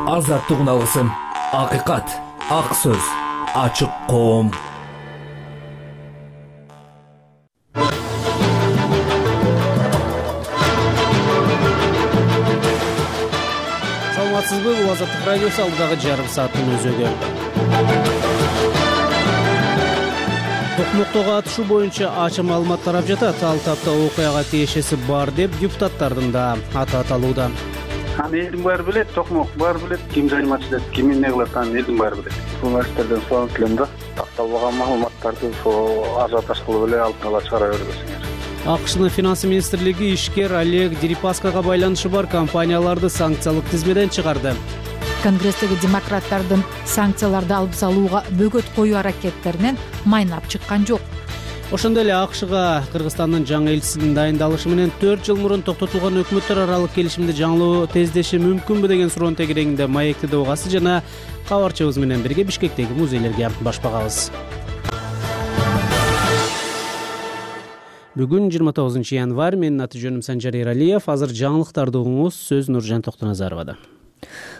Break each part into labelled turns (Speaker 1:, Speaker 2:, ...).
Speaker 1: Азаттык алысым, акыйкат, ак сөз, ачык коом.
Speaker 2: Саламатсызбы? Бул Азаттык радиосу алдыдагы жарым сааттын өзөгү. Токмоктогу атышуу боюнча ачык маалымат тарап жатат. Ал тапта окуяга тиешеси бар деп депутаттардын да аты аталууда.
Speaker 3: Элдин баары билет, Токмок баары билет, ким заниматься этет, ким эмне кылат, элдин баары билет. Журналисттерден суранып келем да, такталбаган маалыматтарды ажиотаж кылып эле алдын ала чыгара бербесиңер.
Speaker 2: АКШнын финансы министрлиги ишкер Олег Дерипаскага байланышы бар компанияларды санкциялык тизмеден чыгарды.
Speaker 4: Конгресстеги демократтардын санкцияларды алып салууга бөгөт коюу аракеттеринен майнап чыккан жок.
Speaker 2: Ошондой эле АКШга Кыргызстандын жаңы элчисинин дайындалышы менен 4 жыл мурун токтотулган өкмөттөр аралык келишимди жаңылоо тездеши мүмкүнбү деген суроонун тегерегинде маектеде угасы жана кабарчыбыз менен бирге Бишкектеги музейлерге баш багабыз. Бүгүн 29 январь, менин аты жөнүм Санжар Эралиев. Азыр жаңылыктарды угуңуз, сөз Нуржан Токтоназаровада.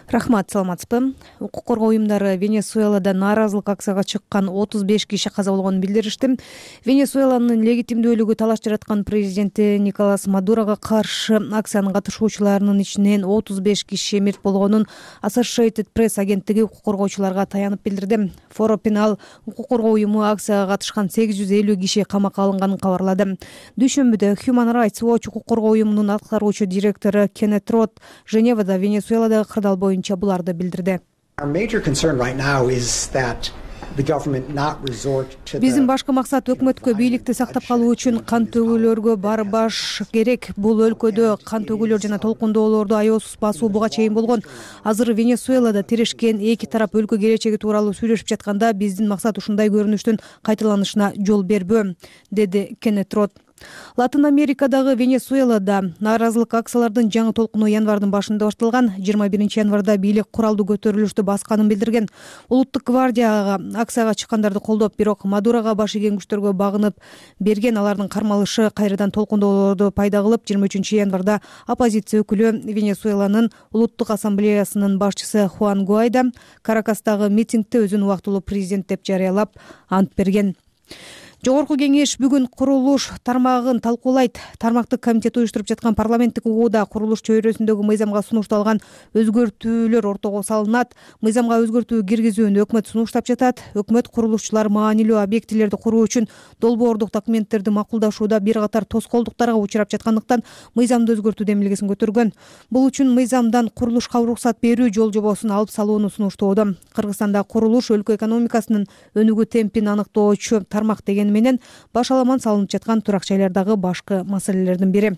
Speaker 5: Рахмат, саламатсызбы? Укук коргоо уюмдары Венесуэлада нааразылык акцияга чыккан 35 киши каза болгонун билдиришти. Венесуэланын легитимдүүлүгү талаш жараткан президенти Николас Мадурога каршы акциянын катышуучуларынын ичинен 35 киши мерт болгонун Associated Press агенттиги укук коргоочуларга таянып билдирди. Форо Пенал укук коргоо уюму акцияга катышкан 850 киши камакка алынганын кабарлады. Дүйшөмбүдө Human Rights Watch укук коргоо уюмунун аткаруучу директору Кеннет Рот Женевада Венесуэладагы кырдаал боюнча буларды билдирди. Биздин башкы максат өкмөткө бийликти сактап калуу үчүн кан төгүүлөргө барбаш керек. Бул өлкөдө кан төгүүлөр жана толкундоолорду аеосуз басуу буга чейин болгон. Азыр Венесуэлада тирешкен эки тарап өлкө келечеги тууралуу сүйлөшүп жатканда биздин максат ушундай көрүнүштүн кайталанышына жол бербөө, деди Кеннет Рот. Латын Америкадагы Венесуэлада нааразылык акциялардын жаңы толкуну январдын башында башталган. 21 январда бийлик куралдуу көтөрүлүштү басканын билдирген. Улуттук гвардияга акцияга чыккандарды колдоп, бирок Мадурага баш ийген күчтөргө багынып берген. Алардын кармалышы кайрадан толкундоолорду пайда кылып, 23 январда оппозиция өкүлү Венесуэланын улуттук ассамблеясынын башчысы Хуан Гуайдо Каракастагы митингде өзүн убактылуу президент деп жарыялап ант берген. Жогорку кеңеш бүгүн курулуш тармагын талкуулайт. Тармактык комитет уюштуруп жаткан парламенттик угууда курулуш чөйрөсүндөгү мыйзамга сунушталган өзгөртүүлөр ортого салынат. Мыйзамга өзгөртүү киргизүүнү өкмөт сунуштап жатат. Өкмөт курулушчулар маанилүү объектилерди куруу үчүн долбоордук документтерди макулдашууда бир катар тоскоолдуктарга учурап жаткандыктан мыйзамды өзгөртүү демилгесин көтөргөн. Бул үчүн мыйзамдан курулушка уруксат берүү жол жобосун алып салууну сунуштоодо. Кыргызстанда курулуш өлкө экономикасынын өнүгүү темпин аныктоочу тармак деген менен башаламан салынып жаткан турак жайлардагы башкы маселелердин бири.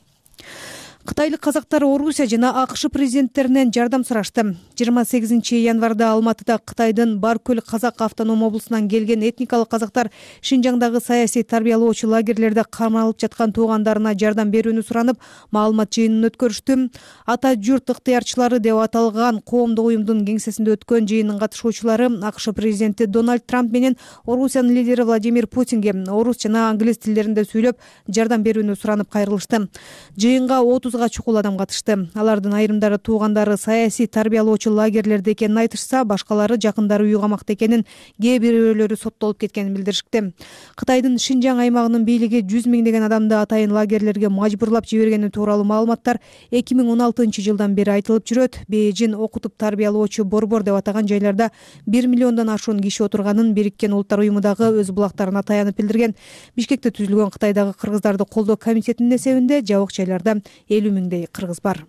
Speaker 5: Кытайлык казактар Орусия жана АКШ президенттеринен жардам сурашты. 28 январда Алматыда Кытайдын Баркөл казак автоном облусунан келген этникалык казактар Шинжаңдагы саясий тарбиялоочу лагерлерде камалып жаткан туугандарына жардам берүүнү суранып, маалымат жыйынын өткөрүштү. Ата журт ыктыярчылары деп аталган коомдук уюмдун кеңсесинде өткөн жыйындын катышуучулары АКШ президенти Дональд Трамп менен Орусиянын лидери Владимир Путинге орус жана англис тилдеринде сүйлөп, жардам берүүнү суранып кайрылышты. Жыйынга 30 чукул адам катышты. Алардын айрымдары туугандары саясий тарбиялоочу лагерлерде экенин айтышса, башкалары жакындары үй камакта экенин, кээ бирөөлөрү соттолуп кеткенин билдиришти. Кытайдын Шинжаң аймагынын бийлиги 100 миңдеген адамды атайын лагерлерге мажбурлап жибергени тууралуу маалыматтар 2016 жылдан бери айтылып жүрөт. Бейжин окутуп тарбиялоочу борбор деп атаган жайларда 1 миллиондон ашуун киши отурганын Бириккен Улуттар уюмундагы өз булактарына таянып билдирген. Бишкекте түзүлгөн Кытайдагы кыргыздарды колдоо комитетинин эсебинде жабык жайларда 50 миңдей кыргыз бар.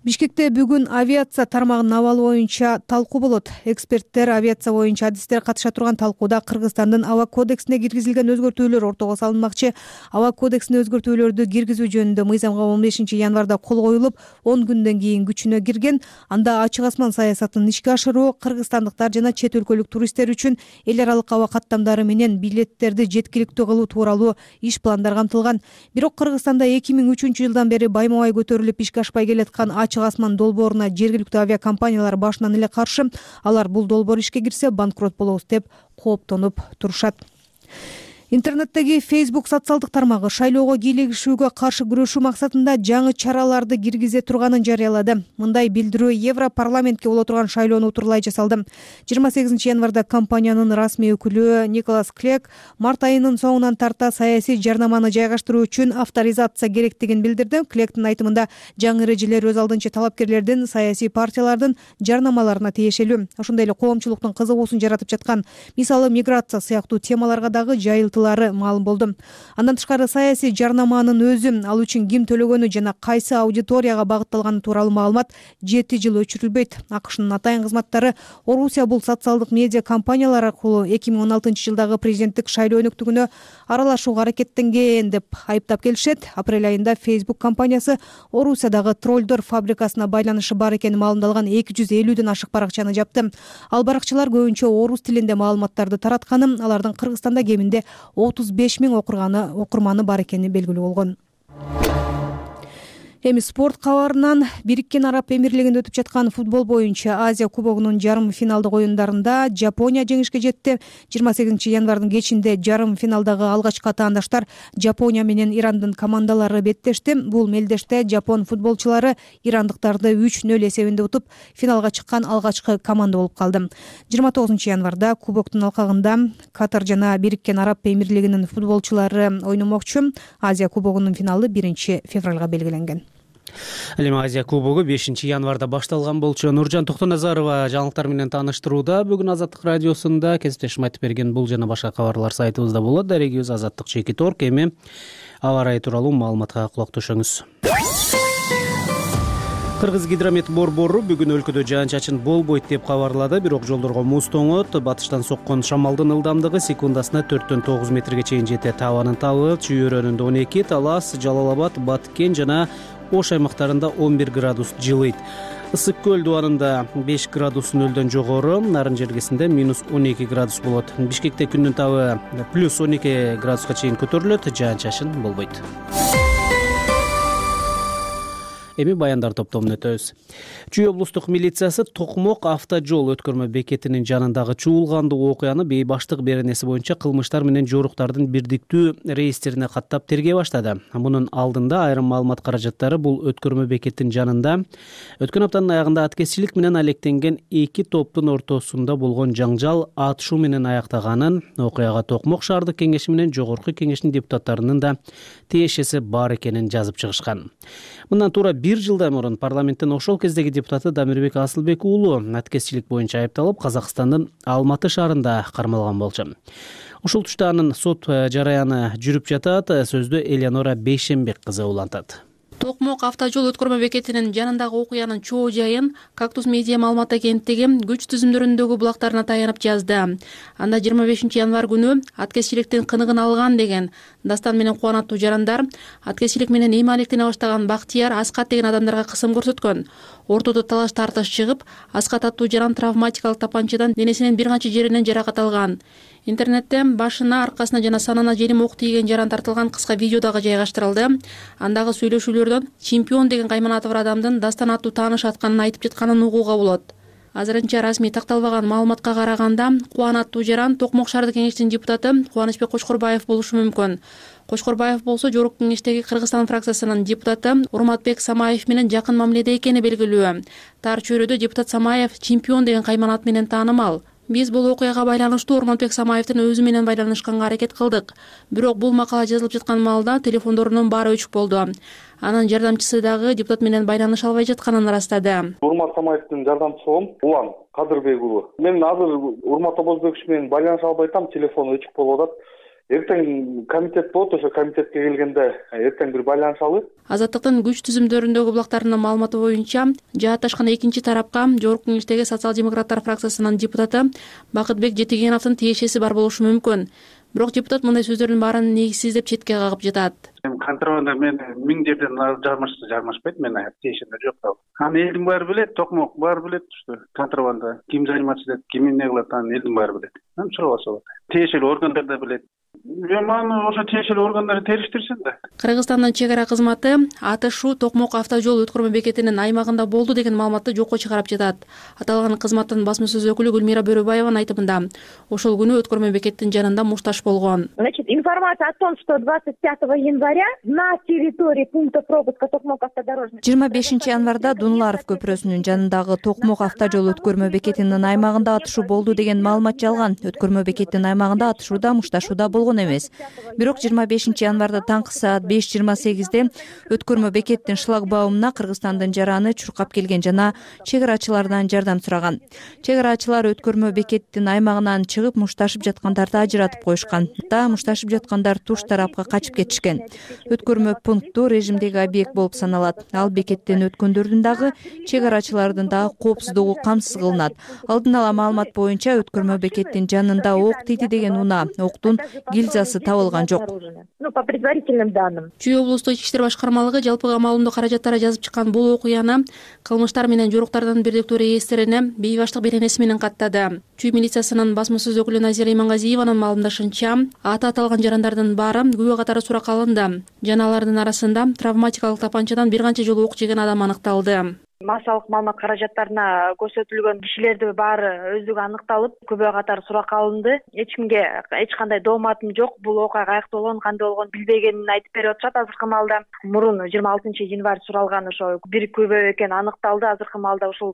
Speaker 5: Бишкекте бүгүн авиация тармагынын абалы боюнча талкуу болот. Эксперттер авиация боюнча адистер катыша турган талкууда Кыргызстандын аба кодексине киргизилген өзгөртүүлөр ортого салынмакчы. Аба кодексине өзгөртүүлөрдү киргизүү жөнүндө мыйзамга 15 январда кол коюлуп, 10 күндөн кийин күчүнө кирген. Анда ачык асман саясатын ишке ашыруу кыргызстандыктар жана чет өлкөлүк туристтер үчүн эл аралык аба каттамдары менен билеттерди жеткиликтүү кылуу тууралуу иш пландар камтылган. Бирок Кыргызстанда 2003 жылдан бери байма-бай көтөрүлүп ишке ашпай келаткан ачык асман долбооруна жергиликтүү авиакомпаниялар башынан эле каршы. Алар бул долбоор ишке кирсе банкрот болобуз деп кооптонуп турушат. Интернеттеги Facebook социалдык тармагы шайлоого кийлигишүүгө каршы күрөшүү максатында жаңы чараларды киргизе турганын жарыялады. Мындай билдирүү Европарламентке боло турган шайлоону утурлай жасалды. 28 январда компаниянын расмий өкүлү Николас Клек март айынын соңунан тарта саясий жарнаманы жайгаштыруу үчүн авторизация керектигин билдирди. Клектин айтымында жаңы эрежелер өз алдынча талапкерлердин, саясий партиялардын жарнамаларына тиешелүү. Ошондой эле коомчулуктун кызыгуусун жаратып жаткан, мисалы миграция сыяктуу темаларга дагы жайылтылары маалым болду. Андан тышкары саясий жарнаманын өзү, ал үчүн ким төлөгөнү жана кайсы аудиторияга багытталганы тууралуу маалымат 7 жыл өчүрүлбөйт. АКШнын атайын кызматтары Орусия бул социалдык медиа компаниялар аркылуу 2016 жылдагы президенттик шайлоо өнүктүгүнө аралашууга аракеттенген деп айыптап келишет. Апрель айында Facebook компаниясы Орусиядагы троллдор фабрикасына байланышы бар экени маалымдалган 250ден ашык баракчаны жапты. Ал баракчалар көбүнчө орус тилинде маалыматтарды таратканы, алардын Кыргызстанда кеминде 35 000 окурманы бар экени белгилүү болгон. Эми спорт кабарынан Бириккен Араб Эмирлигинде өтүп жаткан футбол боюнча Азия кубогунун жарым финалдык оюндарында Жапония жеңишке жетти. 28 январдын кечинде жарым финалдагы алгачкы атаандаштар Жапония менен Ирандын командалары беттешти. Бул мелдеште жапон футболчулары ирандыктарды 3-0 эсебинде утуп, финалга чыккан алгачкы команда болуп калды. 29 январда кубоктун алкагында Катар жана Бириккен Араб Эмирлигинин футболчулары ойномокчу. Азия кубогунун финалы 1-февралга белгиленген.
Speaker 2: Ал эми Азия кубогу 5 январда башталган болчу. Нуржан Токтоназарова жаңылыктар менен тааныштырууда. Бүгүн Азаттык радиосунда кесиптешим айтып берген бул жана башка кабарлар сайтыбызда болот. Дарегибиз azаттык.org. Эми аба ырайы тууралуу маалыматка кулак төшөңүз. Кыргыз гидромет борбору бүгүн өлкөдө жаан-чачын болбойт деп кабарлады, бирок жолдорго муз тоңот. Батыштан соккон шамалдын ылдамдыгы секундасына 4-9 метрге чейин жетет. Абанын табы Чүй-өрөөнүндө 12, Талас, Жалал-Абад, Баткен жана Ош аймактарында 11 градус жылыйт. Ысык көл дубанында 5 градус нөлдөн жогору, Нарын жергесинде -12 градус болот. Бишкекте күндүн табы +12 градуска чейин көтөрүлөт, жаан-чачын болбойт. Эми баяндар топтомун өтөбүз. Чүй облустук милициясы Токмок автожол өткөрмө бекетинин жанындагы чуулгандуу окуяны бейбаштык беренеси боюнча кылмыштар менен жоруктардын бирдиктүү реестрине каттап тергей баштады. Мунун алдында айрым маалымат каражаттары бул өткөрмө бекеттин жанында өткөн аптанын аягында аткезчилик менен алектенген 2 топтун ортосунда болгон жаңжал атышуу менен аяктаганын, окуяга Токмок шаардык кеңеши менен жогорку кеңештин депутаттарынын да тиешеси бар экенин жазып чыгышкан. Мындан туура 1 жылдан мурун парламенттин ошол кездеги депутаты Дамирбек Асылбек уулу аткезчилик боюнча айыпталып, Казакстандын Алматы шаарында кармалган болчу. Ушул тушта анын сот жараяны жүрүп жатат. Сөздү Элеонора Бейшенбек кызы улантат.
Speaker 6: Токмок автожол өткөрмө бекетинин жанындагы окуянын чоо жайын Кактус медиа маалымат агенттиги күч түзүмдөрүндөгү булактарына таянып жазды. Анда 25 январ күнү аткезчиликтин кыныгын алган деген Дастан менен Кубанаттуу жарандар аткезчилик менен эми алектене баштаган Бактияр Аскат деген адамдарга кысым көрсөткөн. Ортодо талаш тартыш чыгып, Аскат аттуу жаран травматикалык тапанчадан денесинин бир канча жеринен жаракат алган. Интернетте башына, аркасына жана санына желим ок тийген жаран тартылган кыска видео дагы жайгаштырылды. Андагы сүйлөшүүлөрдөн чемпион деген кайманаты бар адамдын Дастан аттуу тааныш атканын айтып жатканын угууга болот. Азырынча расмий такталбаган маалыматка караганда, Кубанаттуу жаран Токмок шаардык кеңештин депутаты Кубанычбек Кочкорбаев болушу мүмкүн. Кочкорбаев болсо жогорку кеңештеги Кыргызстан фракциясынын депутаты Урматбек Самаев менен жакын мамиледе экени белгилүү. Тар чөйрөдө депутат Самаев чемпион деген кайманат менен таанымал. Биз бул окуяга байланыштуу Урматбек Самаевдин өзү менен байланышканга аракет кылдык. Бирок бул макала жазылып жаткан маалда телефондорунун баары өчүк болду. Анын жардамчысы дагы депутат менен байланыша албай жатканын ырастады.
Speaker 3: Урмат Самаевдин жардамчысым Улан Кадырбек уулу. Мен азыр Урмат Абазбекович менен байланыша албай атам, телефону өчүк болуп атат. Эртең комитет болот, ошо комитетке келгенде эртең бир байланышалы.
Speaker 6: Азаттыктын күч түзүмдөрүндөгү булактарынын маалыматы боюнча, жаатташкан экинчи тарапка жогорку кеңештеги социал-демократтар фракциясынын депутаты Бакытбек Жетигеновдун тиешеси бар болушу мүмкүн. Бирок депутат мындай сөздөрдүн баарын негизсиз деп четке кагып жатат.
Speaker 3: Контрабанда мен 1000 жерден жармашпайт, мен тиешемде жок. Аны элдин баары билет, Токмок баары билет, что контрабанда ким заниматься этет, ким эмне кылат, аны элдин баары билет. Мен сурабаса болот. Тиешелүү органдар да билет.
Speaker 7: Маны ошо тиешелүү органдар териштирсин да.
Speaker 6: Кыргызстандын чек ара кызматы АТШ Токмок автожол өткөрмө бекетинин аймагында болду деген маалыматты жокко чыгарып жатат. Аталган кызматтын басма сөз өкүлү Гүлмира Бөрөбаеванын айтымында, ошол күнү өткөрмө бекеттин жанында мушташ болгон.
Speaker 8: Значит, информация о том, что 25 января на территории пункта пропуска Токмок автодорожный
Speaker 9: 25 январда Дунуларов көпүрөсүнүн жанындагы Токмок автожол өткөрмө бекетинин аймагында атышуу болду деген маалымат жалган. Өткөрмө бекеттин аймагында атышууда, мушташууда болгон эмес. Бирок 25 январда таңкы саат 5:28 өткөрмө бекеттин шлагбаумуна Кыргызстандын жараны чуркап келген жана чек арачылардан жардам сураган. Чек арачылар өткөрмө бекеттин аймагынан чыгып мушташып жаткандарды ажыратып коюшкан. Мушташып жаткандар туш тарапка качып кетишкен. Өткөрмө пункту режимдеги объект болуп саналат. Ал бекеттен өткөндөрдүн дагы, чек арачылардын дагы коопсуздугу камсыз кылынат. Алдын ала маалымат боюнча өткөрмө бекеттин жанында ок тиди деген унаа, октун гильзасы табылган жок.
Speaker 8: По предварительным данным.
Speaker 6: Чүй облустук ички иштер башкармалыгы жалпыга маалымдоо каражаттары жазып чыккан бул окуяны кылмыштар менен жоруктардын бирдиктүү реестрине бейбаштык беренеси менен каттады. Чүй милициясынын басма сөз өкүлү Назира Имангазиеванын маалымдашынча, аты аталган жарандардан баары күбө катары суракка алынды. Жана алардын арасында травматикалык тапанчадан бир канча жолу ок жеген адам аныкталды.
Speaker 8: Массалык маалымат каражаттарына көрсөтүлгөн кишилердин баары өздүгү аныкталып, күбө катары суракка алынды. Эч кимге эч кандай дооматым жок. Бул окуя каякта болгон, кандай болгон билбегенин айтып берип атышат азыркы маалда. Мурун 26 январь суралган ошо бир күбө экени аныкталды. Азыркы маалда ушул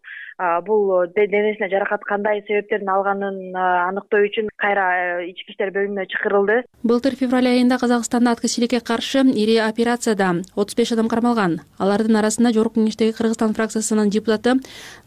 Speaker 8: бул денесине жаракат кандай себептерден алганын аныктоо үчүн кайра ички иштер бөлүмүнө чакырылды.
Speaker 6: Былтыр февраль айында Казакстанда аткезчиликке каршы ири операцияда 35 адам кармалган. Алардын арасында Жогорку Кеңештеги Кыргызстан фракциясынын депутаты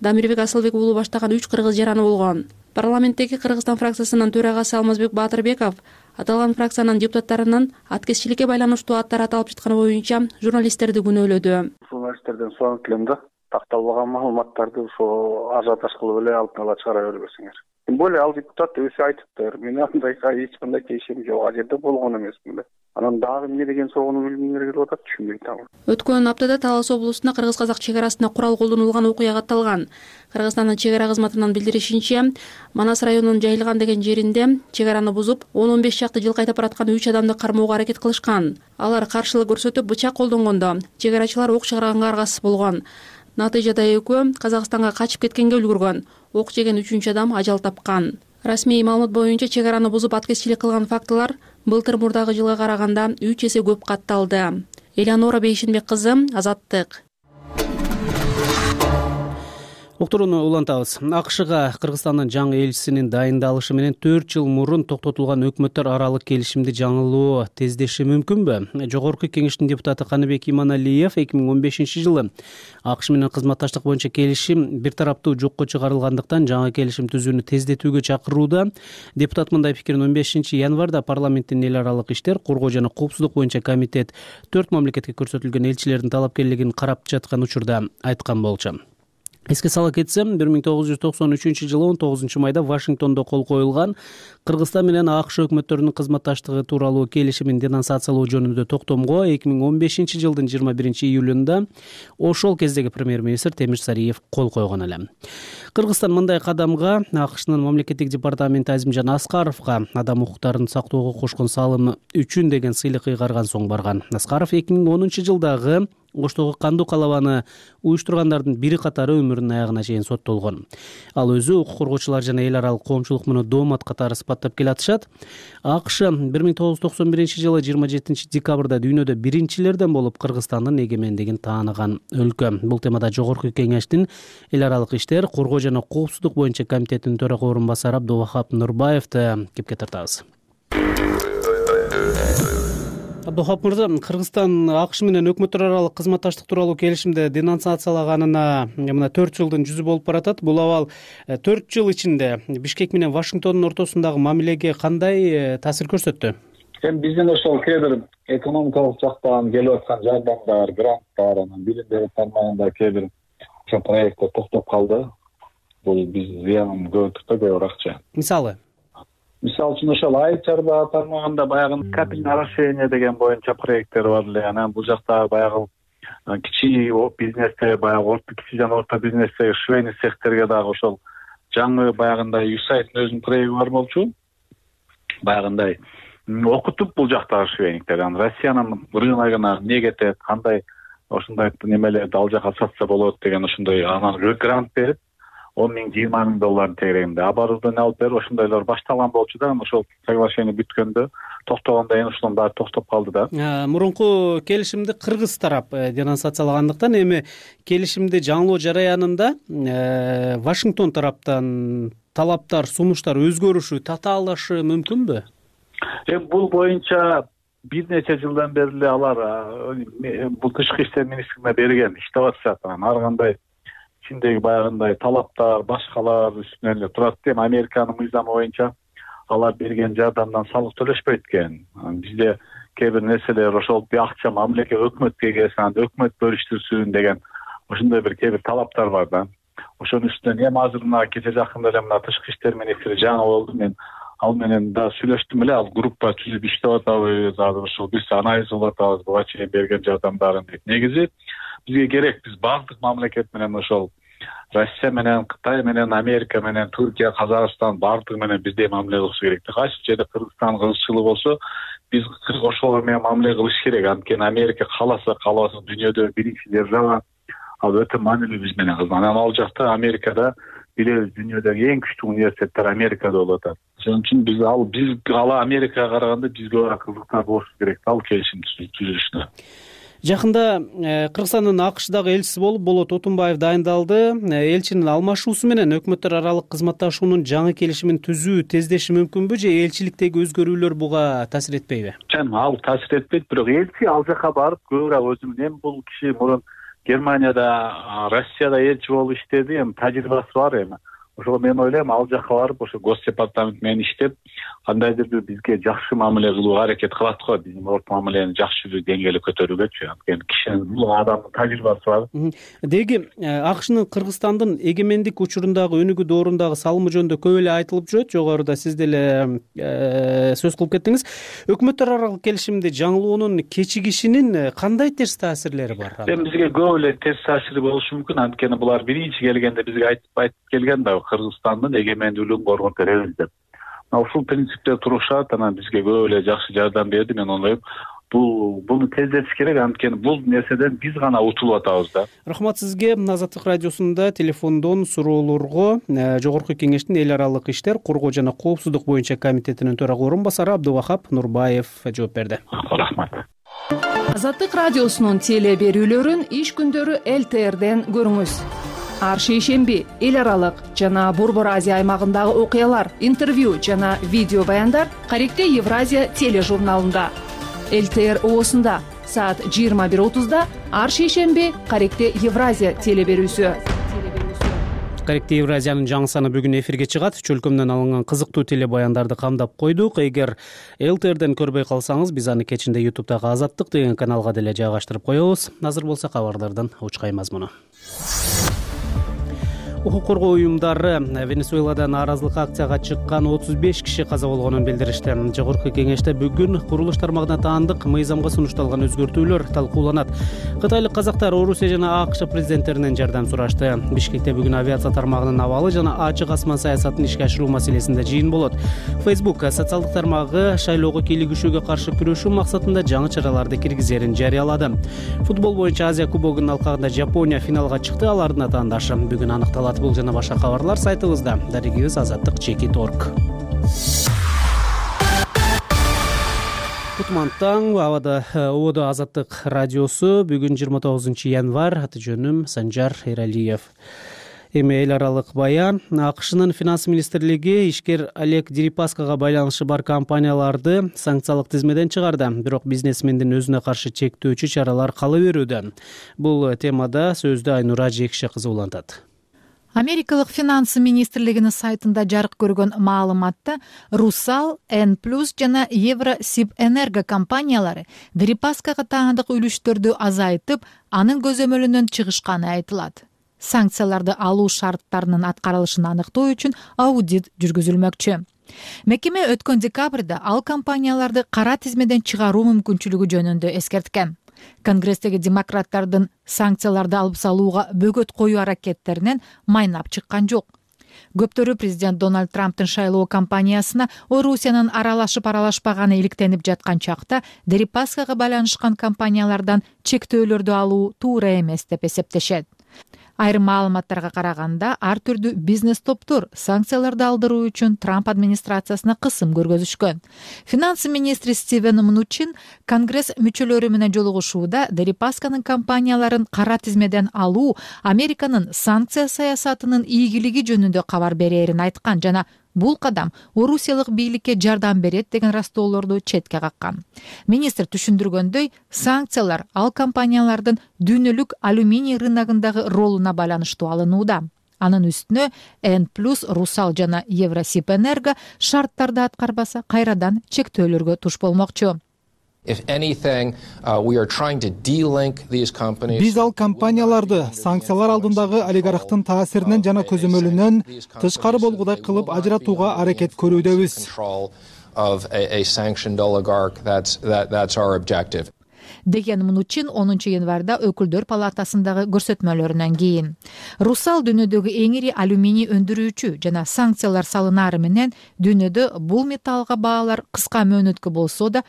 Speaker 6: Дамирбек Асылбек уулу баштаган 3 кыргыз жараны болгон. Парламенттеги Кыргызстан фракциясынын төрагасы Алмазбек Баатырбеков аталган фракциянын депутаттарынын аткезчиликке байланыштуу аттары аталып жатканы боюнча журналисттерди күнөөлөдү.
Speaker 7: Журналисттерден суранып келем да, такталбаган маалыматтарды ошо ажиотаж кылып эле алдын ала чыгара бербесиңер. Тем более ал депутат өзү айтыптыр. Мен андайга эч кандай тиешем жок, ал жерде болгон эмесмин да. Анан дагы эмне деген сороону билгимдер келип атат, түшүнбөй атам.
Speaker 6: Өткөн аптада Талас облусунда кыргыз-казак чек арасында курал колдонулган окуя катталган. Кыргызстандын чек ара кызматынын билдиришинче, Манас районунун Жайылган деген жеринде чек араны бузуп, 10-15 чакты жыл кайтап бараткан 3 адамды кармоого аракет кылышкан. Алар каршылык көрсөтүп бычак колдонгондо чек арачылар ок чыгарганга аргасыз болгон. Натыйжада экөө Казакстанга качып кеткенге үлгүргөн. Ок жеген 3 адам ажал тапкан. Расмий маалымат боюнча чек араны бузуп аткезчилик кылган фактылар былтыр мурдагы жылга караганда 3 эсе көп катталды. Элеонора Бейшинбек кызы, Азаттык.
Speaker 2: Уктурууну улантабыз. АКШга Кыргызстандын жаңы элчисинин дайындалышы менен 4 жыл мурун токтотулган өкмөттөр аралык келишимди жаңылоо тездеши мүмкүнбү? Жогорку Кеңештин депутаты Каныбек Иманалиев 2015 жылы АКШ менен кызматташтык боюнча келишим бир тараптуу жокко чыгарылгандыктан жаңы келишим түзүүнү тездетүүгө чакырууда. Депутат мындай пикирин 15 январда парламенттин эл аралык иштер, коргоо жана коопсуздук боюнча комитет 4 мамлекетке көрсөтүлгөн элчилердин талапкерлигин карап жаткан учурда айткан болчу. Эске сала кетсем, 1993 жылы 19 майда Вашингтондо кол коюлган Кыргызстан менен АКШ өкмөттөрүнүн кызматташтыгы тууралуу келишимин денонсациялоо жөнүндө токтомго 2015 жылдын 21 июлунда ошол кездеги премьер-министр Темир Сариев кол койгон эле. Кыргызстан мындай кадамга АКШнын мамлекеттик департаменти Азимжан Аскаровго адам укуктарын сактоого кошкон салымы үчүн деген сыйлык ыйгарган соң барган. Аскаров 2010 жылдагы Оштогу кандуу калабаны уюштургандардын бири катары өмүрүнүн аягына чейин соттолгон. Ал өзү укук коргоочулар жана эл аралык коомчулук муну доомат катары сыпаттап келатышат. АКШ 1991 жылы 27 декабрда дүйнөдө биринчилерден болуп Кыргызстандын эгемендигин тааныган өлкө. Бул темада Жогорку Кеңештин эл аралык иштер, коргоо жана коопсуздук боюнча комитетинин төрага орун басары Абдувахап Нурбаевди кепке тартабыз. Абдухап мырза, Кыргызстан АКШ менен өкмөттөр аралык кызматташтык тууралуу келишимди денонсациялаганына мына 4 жылдын жүзү болуп баратат. Бул абал 4 жыл ичинде Бишкек менен Вашингтондун ортосундагы мамилеге кандай таасир көрсөттү?
Speaker 10: Биздин ошол кээ бир экономикалык жактан келип аткан жардамдар, гранттар, анан билим берүү тармагында кээ бир ошо проекттер токтоп калды. Бул биз зыянын көрдүк да, көп акча. Мисалы үчүн ошол айыл чарба тармагында баягы капельное орошение деген боюнча проекттер бар эле. Анан бул жакта баягы кичи бизнесте, баягы кичи жана орто бизнесте, швейный цехтерге дагы ошол жаңы баягындай USAID'дин өзүнүн проекти бар болчу. Баягындай окутуп бул жактагы швейниктер анан Россиянын рыногуна эмне кетет, кандай ошондой немелерди ал жака сатса болот деген ошондой анан грант берип $10,000-20,000 тегерегинде оборудование алып берип ошондойлор башталган болчу да. Ошол соглашение бүткөндө токтогондон кийин ошонун баары токтоп калды да.
Speaker 2: Мурунку келишимди кыргыз тарап денонсациялагандыктан эми келишимди жаңылоо жараянында Вашингтон тараптан талаптар, сунуштар өзгөрүшү, татаалашы мүмкүнбү?
Speaker 10: Бул боюнча бир нече жылдан бери эле алар бул тышкы иштер министрлигине берген иштеп атышат. Ар кандай ичиндеги баягындай талаптар, башкалар үстүнөн эле турат. Эми Американын мыйзамы боюнча алар берген жардамдан салык төлөшпөйт экен. Бизде кээ бир нерселер ошол акча мамлекет өкмөткө келсин, анда өкмөт бөлүштүрсүн деген ошондой бир кээ бир талаптар бар да. Ошонун үстүнөн эми азыр мына кече жакында эле мына тышкы иштер министри жаңы болду. Мен ал менен да сүйлөштүм эле. Ал группа түзүп иштеп атабыз, азыр ошол биз анализ кылып атабыз буга чейин берген жардамдарын дейт. Негизи бизге керек, биз бардык мамлекет менен ошол Россия менен, Кытай менен, Америка менен, Түркия, Казакстан бардыгы менен бирдей мамиле кылыш керек. Кайсы жерде Кыргызстан кызыкчылыгы болсо, биз ошолор менен мамиле кылыш керек. Анткени Америка кааласа дүйнөдө биринчи держава, ал өтө маанилүү биз менен кызмат. Анан ал жакта Америкада билебиз, дүйнөдөгү эң күчтүү университеттер Америкада болуп атат. Ошон үчүн биз Америкага караганда бизге бара кызыктар болуш керек ал келишим түзүлүшүнө.
Speaker 2: Жакында Кыргызстандын АКШдагы элчиси болуп Болот Отунбаев дайындалды. Элчинин алмашуусу менен өкмөттөр аралык кызматташуунун жаңы келишимин түзүү тездеши мүмкүнбү же элчиликтеги өзгөрүүлөр буга таасир этпейби?
Speaker 10: Ал таасир этпейт, бирок элчи ал жака барып көбүрөөк өзүнүн эми бул киши мурун Германияда, Россияда элчи болуп иштеди, эми тажрыйбасы бар эми. Ошол мен ойлойм ал жака барып ошо Госдепартамент менен иштеп, кандайдыр бир бизге жакшы мамиле кылууга аракет кылат го, биздин орто мамилени жакшы бир деңгээлге көтөрүүгөчү. Анткени кишинин бул адамдын тажрыйбасы бар.
Speaker 2: Деги АКШнын Кыргызстандын эгемендик учурундагы өнүгүү доорундагы салымы жөнүндө көп эле айтылып жүрөт. Жогоруда сиз деле сөз кылып кеттиңиз. Өкмөттөр аралык келишимди жаңылоонун кечигишинин кандай терс таасирлери бар?
Speaker 10: Эми бизге көп эле терс таасири болушу мүмкүн. Анткени булар биринчи келгенде бизге айтып келген да Кыргызстандын эгемендүүлүгүн коргоп беребиз деп. Ушул принципте турушат, анан бизге көп эле жакшы жардам берди. Мен ойлойм, буну тездетиш керек, анткени бул нерседен биз гана утулуп атабыз да.
Speaker 2: Рахмат сизге. Азаттык радиосунда телефондон суроолорго Жогорку Кеңештин эл аралык иштер, коргоо жана коопсуздук боюнча комитетинин төрага орун басары Абдывахап Нурбаев жооп берди.
Speaker 10: Рахмат.
Speaker 11: Азаттык радиосунун теле берүүлөрүн иш күндөрү ЛТРден көрүңүз. Ар шейшемби эл аралык жана Борбор Азия аймагындагы окуялар, интервью жана видео баяндар Каректе Евразия тележурналында. ЛТР оосунда саат 21:30 ар шейшемби Каректе Евразия теле берүүсү.
Speaker 2: Каректе Евразиянын жаңы саны бүгүн эфирге чыгат. Чөлкөмдөн алынган кызыктуу теле баяндарды камдап койдук. Эгер ЛТРден көрбөй калсаңыз, биз аны кечинде YouTube'дагы Азаттык деген каналга деле жайгаштырып коебуз. Азыр болсо кабарлардан учкай мазмуну. Укук коргоо уюмдары Венесуэлада нааразылык акцияга чыккан 35 киши каза болгонун билдиришти. Жогорку Кеңеште бүгүн курулуш тармагына таандык мыйзамга сунушталган өзгөртүүлөр талкууланат. Кытайлык казактар Орусия жана АКШ президенттеринен жардам сурашты. Бишкекте бүгүн авиация тармагынын абалы жана ачык асман саясатын ишке ашыруу маселесинде жыйын болот. Facebook социалдык тармагы шайлоого кийлигишүүгө каршы күрөшүү максатында жаңы чараларды киргизерин жарыялады. Футбол боюнча Азия кубогунун алкагында Жапония финалга чыкты. Алардын атаандашы бүгүн аныкталат. Бул жана башка кабарлар сайтыбызда. Дарегибиз azattik.org. Кутман таң, ободо Азаттык радиосу. Бүгүн 29 январь, аты жөнүм Санжар Эралиев. Эми эл аралык баян. АКШнын финанс министрлиги ишкер Олег Дерипаскага байланышы бар компанияларды санкциялык тизмеден чыгарды. Бирок бизнесмендин өзүнө каршы чектөөчү чаралар кала берүүдө. Бул темада сөздү Айнура Жекше кызы улантат.
Speaker 4: Америкалык финанс министрлигинин сайтында жарык көргөн маалыматта Русал, N+ жана Евросибэнерго компаниялары Дерипаскага таандык үлүштөрдү азайтып, анын көзөмөлүнөн чыгышканы айтылат. Санкцияларды алуу шарттарынын аткарылышын аныктоо үчүн аудит жүргүзүлмөкчү. Мекеме өткөн декабрда ал компанияларды кара тизмеден чыгаруу мүмкүнчүлүгү жөнүндө эскерткен. Конгресстеги демократтардын санкцияларды алып салууга бөгөт коюу аракеттеринен майнап чыккан жок. Көптөрү президент Дональд Трамптын шайлоо кампаниясына Орусиянын аралашып-аралашпаганы иликтенип жаткан чакта Дерипаскага байланышкан компаниялардан чектөөлөрдү алуу туура эмес деп эсептешет. Айрым маалыматтарга караганда, ар түрдүү бизнес топтор санкцияларды алдыруу үчүн Трамп администрациясына кысым көргөзүшкөн. Финанс министри Стивен Мнучин Конгресс мүчөлөрү менен жолугушууда Дерипасканын компанияларын кара тизмеден алуу Американын санкция саясатынын ийгилиги жөнүндө кабар берээрин айткан жана бул кадам орусиялык бийликке жардам берет деген растоолорду четке каккан. Министр түшүндүргөндөй, санкциялар ал компаниялардын дүйнөлүк алюминий рыногундагы ролуна байланыштуу алынууда. Анын үстүнө N+, Русал жана Евросибэнерго шарттарды аткарбаса кайрадан чектөөлөргө туш болмокчу.
Speaker 12: Биз ал компанияларды санкциялар алдындагы олигархтын таасиринен жана көзөмөлүнөн тышкары болгудай кылып ажыратууга аракет көрүүдөбүз.
Speaker 4: Деген Мнучин 10 январда өкүлдөр палатасындагы көрсөтмөлөрүнөн кийин. Русал дүйнөдөгү эң ири алюминий өндүрүүчү жана санкциялар салынары менен дүйнөдө бул металлга баалар кыска мөөнөткө болсо да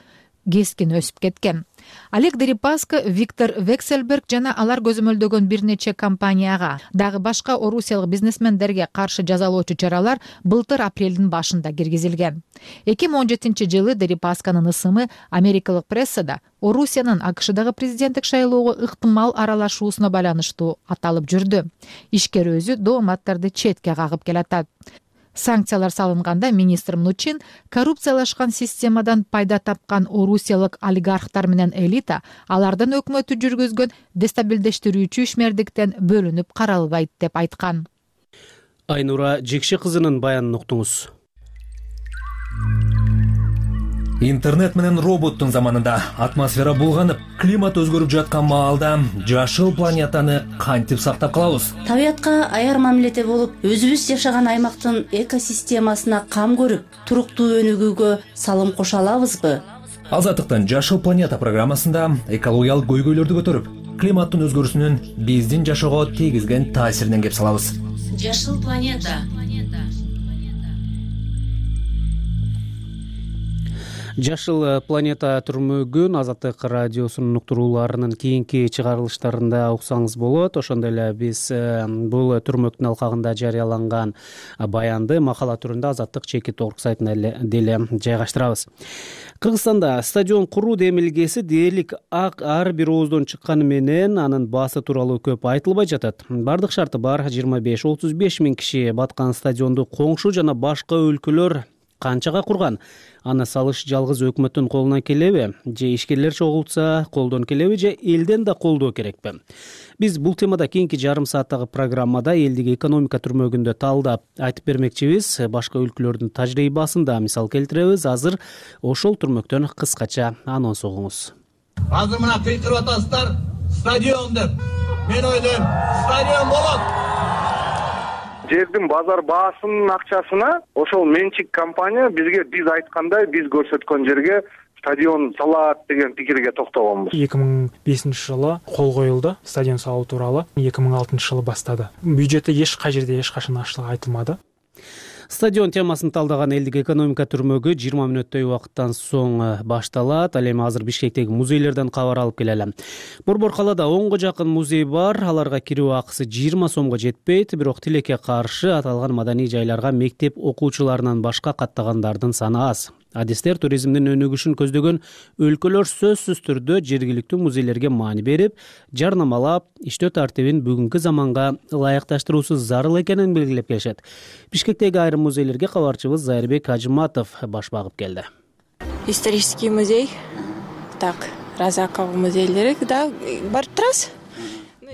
Speaker 4: кескин өсүп кеткен. Олег Дерипаска, Виктор Вексельберг жана алар көзөмөлдөгөн бир нече компанияга, дагы башка орусиялык бизнесмендерге каршы жазалоочу чаралар былтыр апрелдин башында киргизилген. 2017 жылы Дерипасканын ысымы америкалык прессада Орусиянын АКШдагы президенттик шайлоого ыктымал аралашуусуна байланыштуу аталып жүрдү. Ишкер өзү дооматтарды четке кагып келатат. Санкциялар салынганда министр Мнучин коррупциялашкан системадан пайда тапкан орусиялык олигархтар менен элита алардан өкмөттү жүргүзгөн дестабилдештирүүчү ишмердиктен бөлүнүп каралбайт деп айткан.
Speaker 2: Айнура Жекши кызынын баянын уктуңуз.
Speaker 1: Интернет менен роботтун заманында атмосфера булганып, климат өзгөрүп жаткан маалда жашыл планетаны кантип сактап калабыз?
Speaker 13: Табиятка аяр мамиледе болуп, өзүбүз жашаган аймактын экосистемасына кам көрүп, туруктуу өнүгүүгө салым кошо алабызбы?
Speaker 1: Азаттыктын Жашыл планета программасында экологиялык көйгөйлөрдү көтөрүп, климаттын өзгөрүүсүнүн биздин жашоого тийгизген таасиринен кеп салабыз.
Speaker 13: Жашыл планета.
Speaker 2: Жашыл планета түрмөгүн Азаттык радиосунун уктурууларынын кийинки чыгарылыштарында уксаңыз болот. Ошондой эле биз бул түрмөктүн алкагында жарыяланган баянды макала түрүндө Азаттык чеки торг сайтына деле жайгаштырабыз. Кыргызстанда стадион куруу демилгеси дээрлик ар бир ооздон чыкканы менен анын баасы тууралуу көп айтылбай жатат. Бардык шарты бар 25-35 миң киши баткан стадионду коңшу жана башка өлкөлөр канчага курган? Аны салыш жалгыз өкмөттүн колунан келеби? Же ишкерлер чогултса колдон келеби? Же элден да колдоо керекпи? Биз бул темада кийинки жарым сааттагы программада элдик экономика түрмөгүндө талдап айтып бермекчибиз. Башка өлкөлөрдүн тажрыйбасын да мисал келтиребиз. Азыр ошол түрмөктөн кыскача анонс угуңуз.
Speaker 14: Азыр мына кыйкырып атасыздар, стадион деп. Мен ойлойм, стадион болот.
Speaker 7: Жердин базар баасынын акчасына ошол менчик компания биз айткандай, биз көрсөткөн жерге стадион салат деген пикирге токтогонбуз.
Speaker 15: 2005 жылы кол коюлду стадион салуу тууралуу. 2006 жылы баштады. Бюджетте эч кай жерде эч качан ачлык айтылмады.
Speaker 2: Стадион темасын талдаган элдик экономика түрмөгү 20 мүнөттөй убакыттан соң башталат. Ал эми азыр Бишкектеги музейлерден кабар алып келели. Борбор калаада 10го жакын музей бар. Аларга кирүү акысы 20 сомго жетпейт. Бирок тилекке каршы аталган маданий жайларга мектеп окуучуларынан башка каттагандардын саны аз. Адистер туризмдин өнүгүшүн көздөгөн өлкөлөр сөзсүз түрдө жергиликтүү музейлерге маани берип, жарнамалап, иштөө тартибин бүгүнкү заманга ылайыкташтыруусу зарыл экенин белгилеп келишет. Бишкектеги айрым музейлерге кабарчыбыз Зайырбек Ажыматов баш багып келди.
Speaker 16: Исторический музей, так, Разаков музейлери да барып турасыз.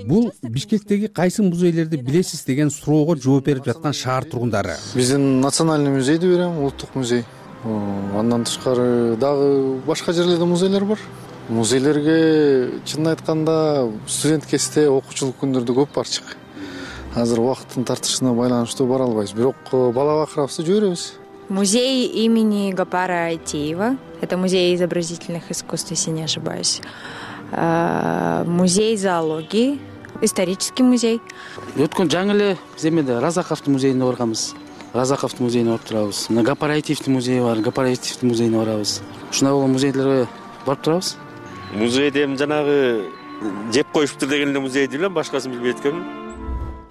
Speaker 17: Бул Бишкектеги кайсы музейлерди билесиз деген суроого жооп берип жаткан шаар тургундары.
Speaker 18: Биздин национальный музейди берем, улуттук музей. Андан тышкары дагы башка жерлерде музейлер бар. Музейлерге чынын айтканда студент кезде окуучулук күндөрдө көп барчык. Азыр убакыттын тартышына байланыштуу бара албайбыз, бирок бала бакырабызды жиберебиз.
Speaker 16: Музей имени Гапара Айтеева. Это музей изобразительных искусств, если не ошибаюсь. Музей зоологии. исторический музей.
Speaker 19: Өткөн жаңы эле биз эмеде Разаковдун музейине барганбыз. Разаковдун музейине барып турабыз. Мына Гапараевдин музейи бар, Гапараевдин музейине барабыз. Ушундай болгон музейлерге барып турабыз.
Speaker 20: Музейде эми жанагы жеп коюшуптур деген эле музейди билем, башкасын билбей эткенмин.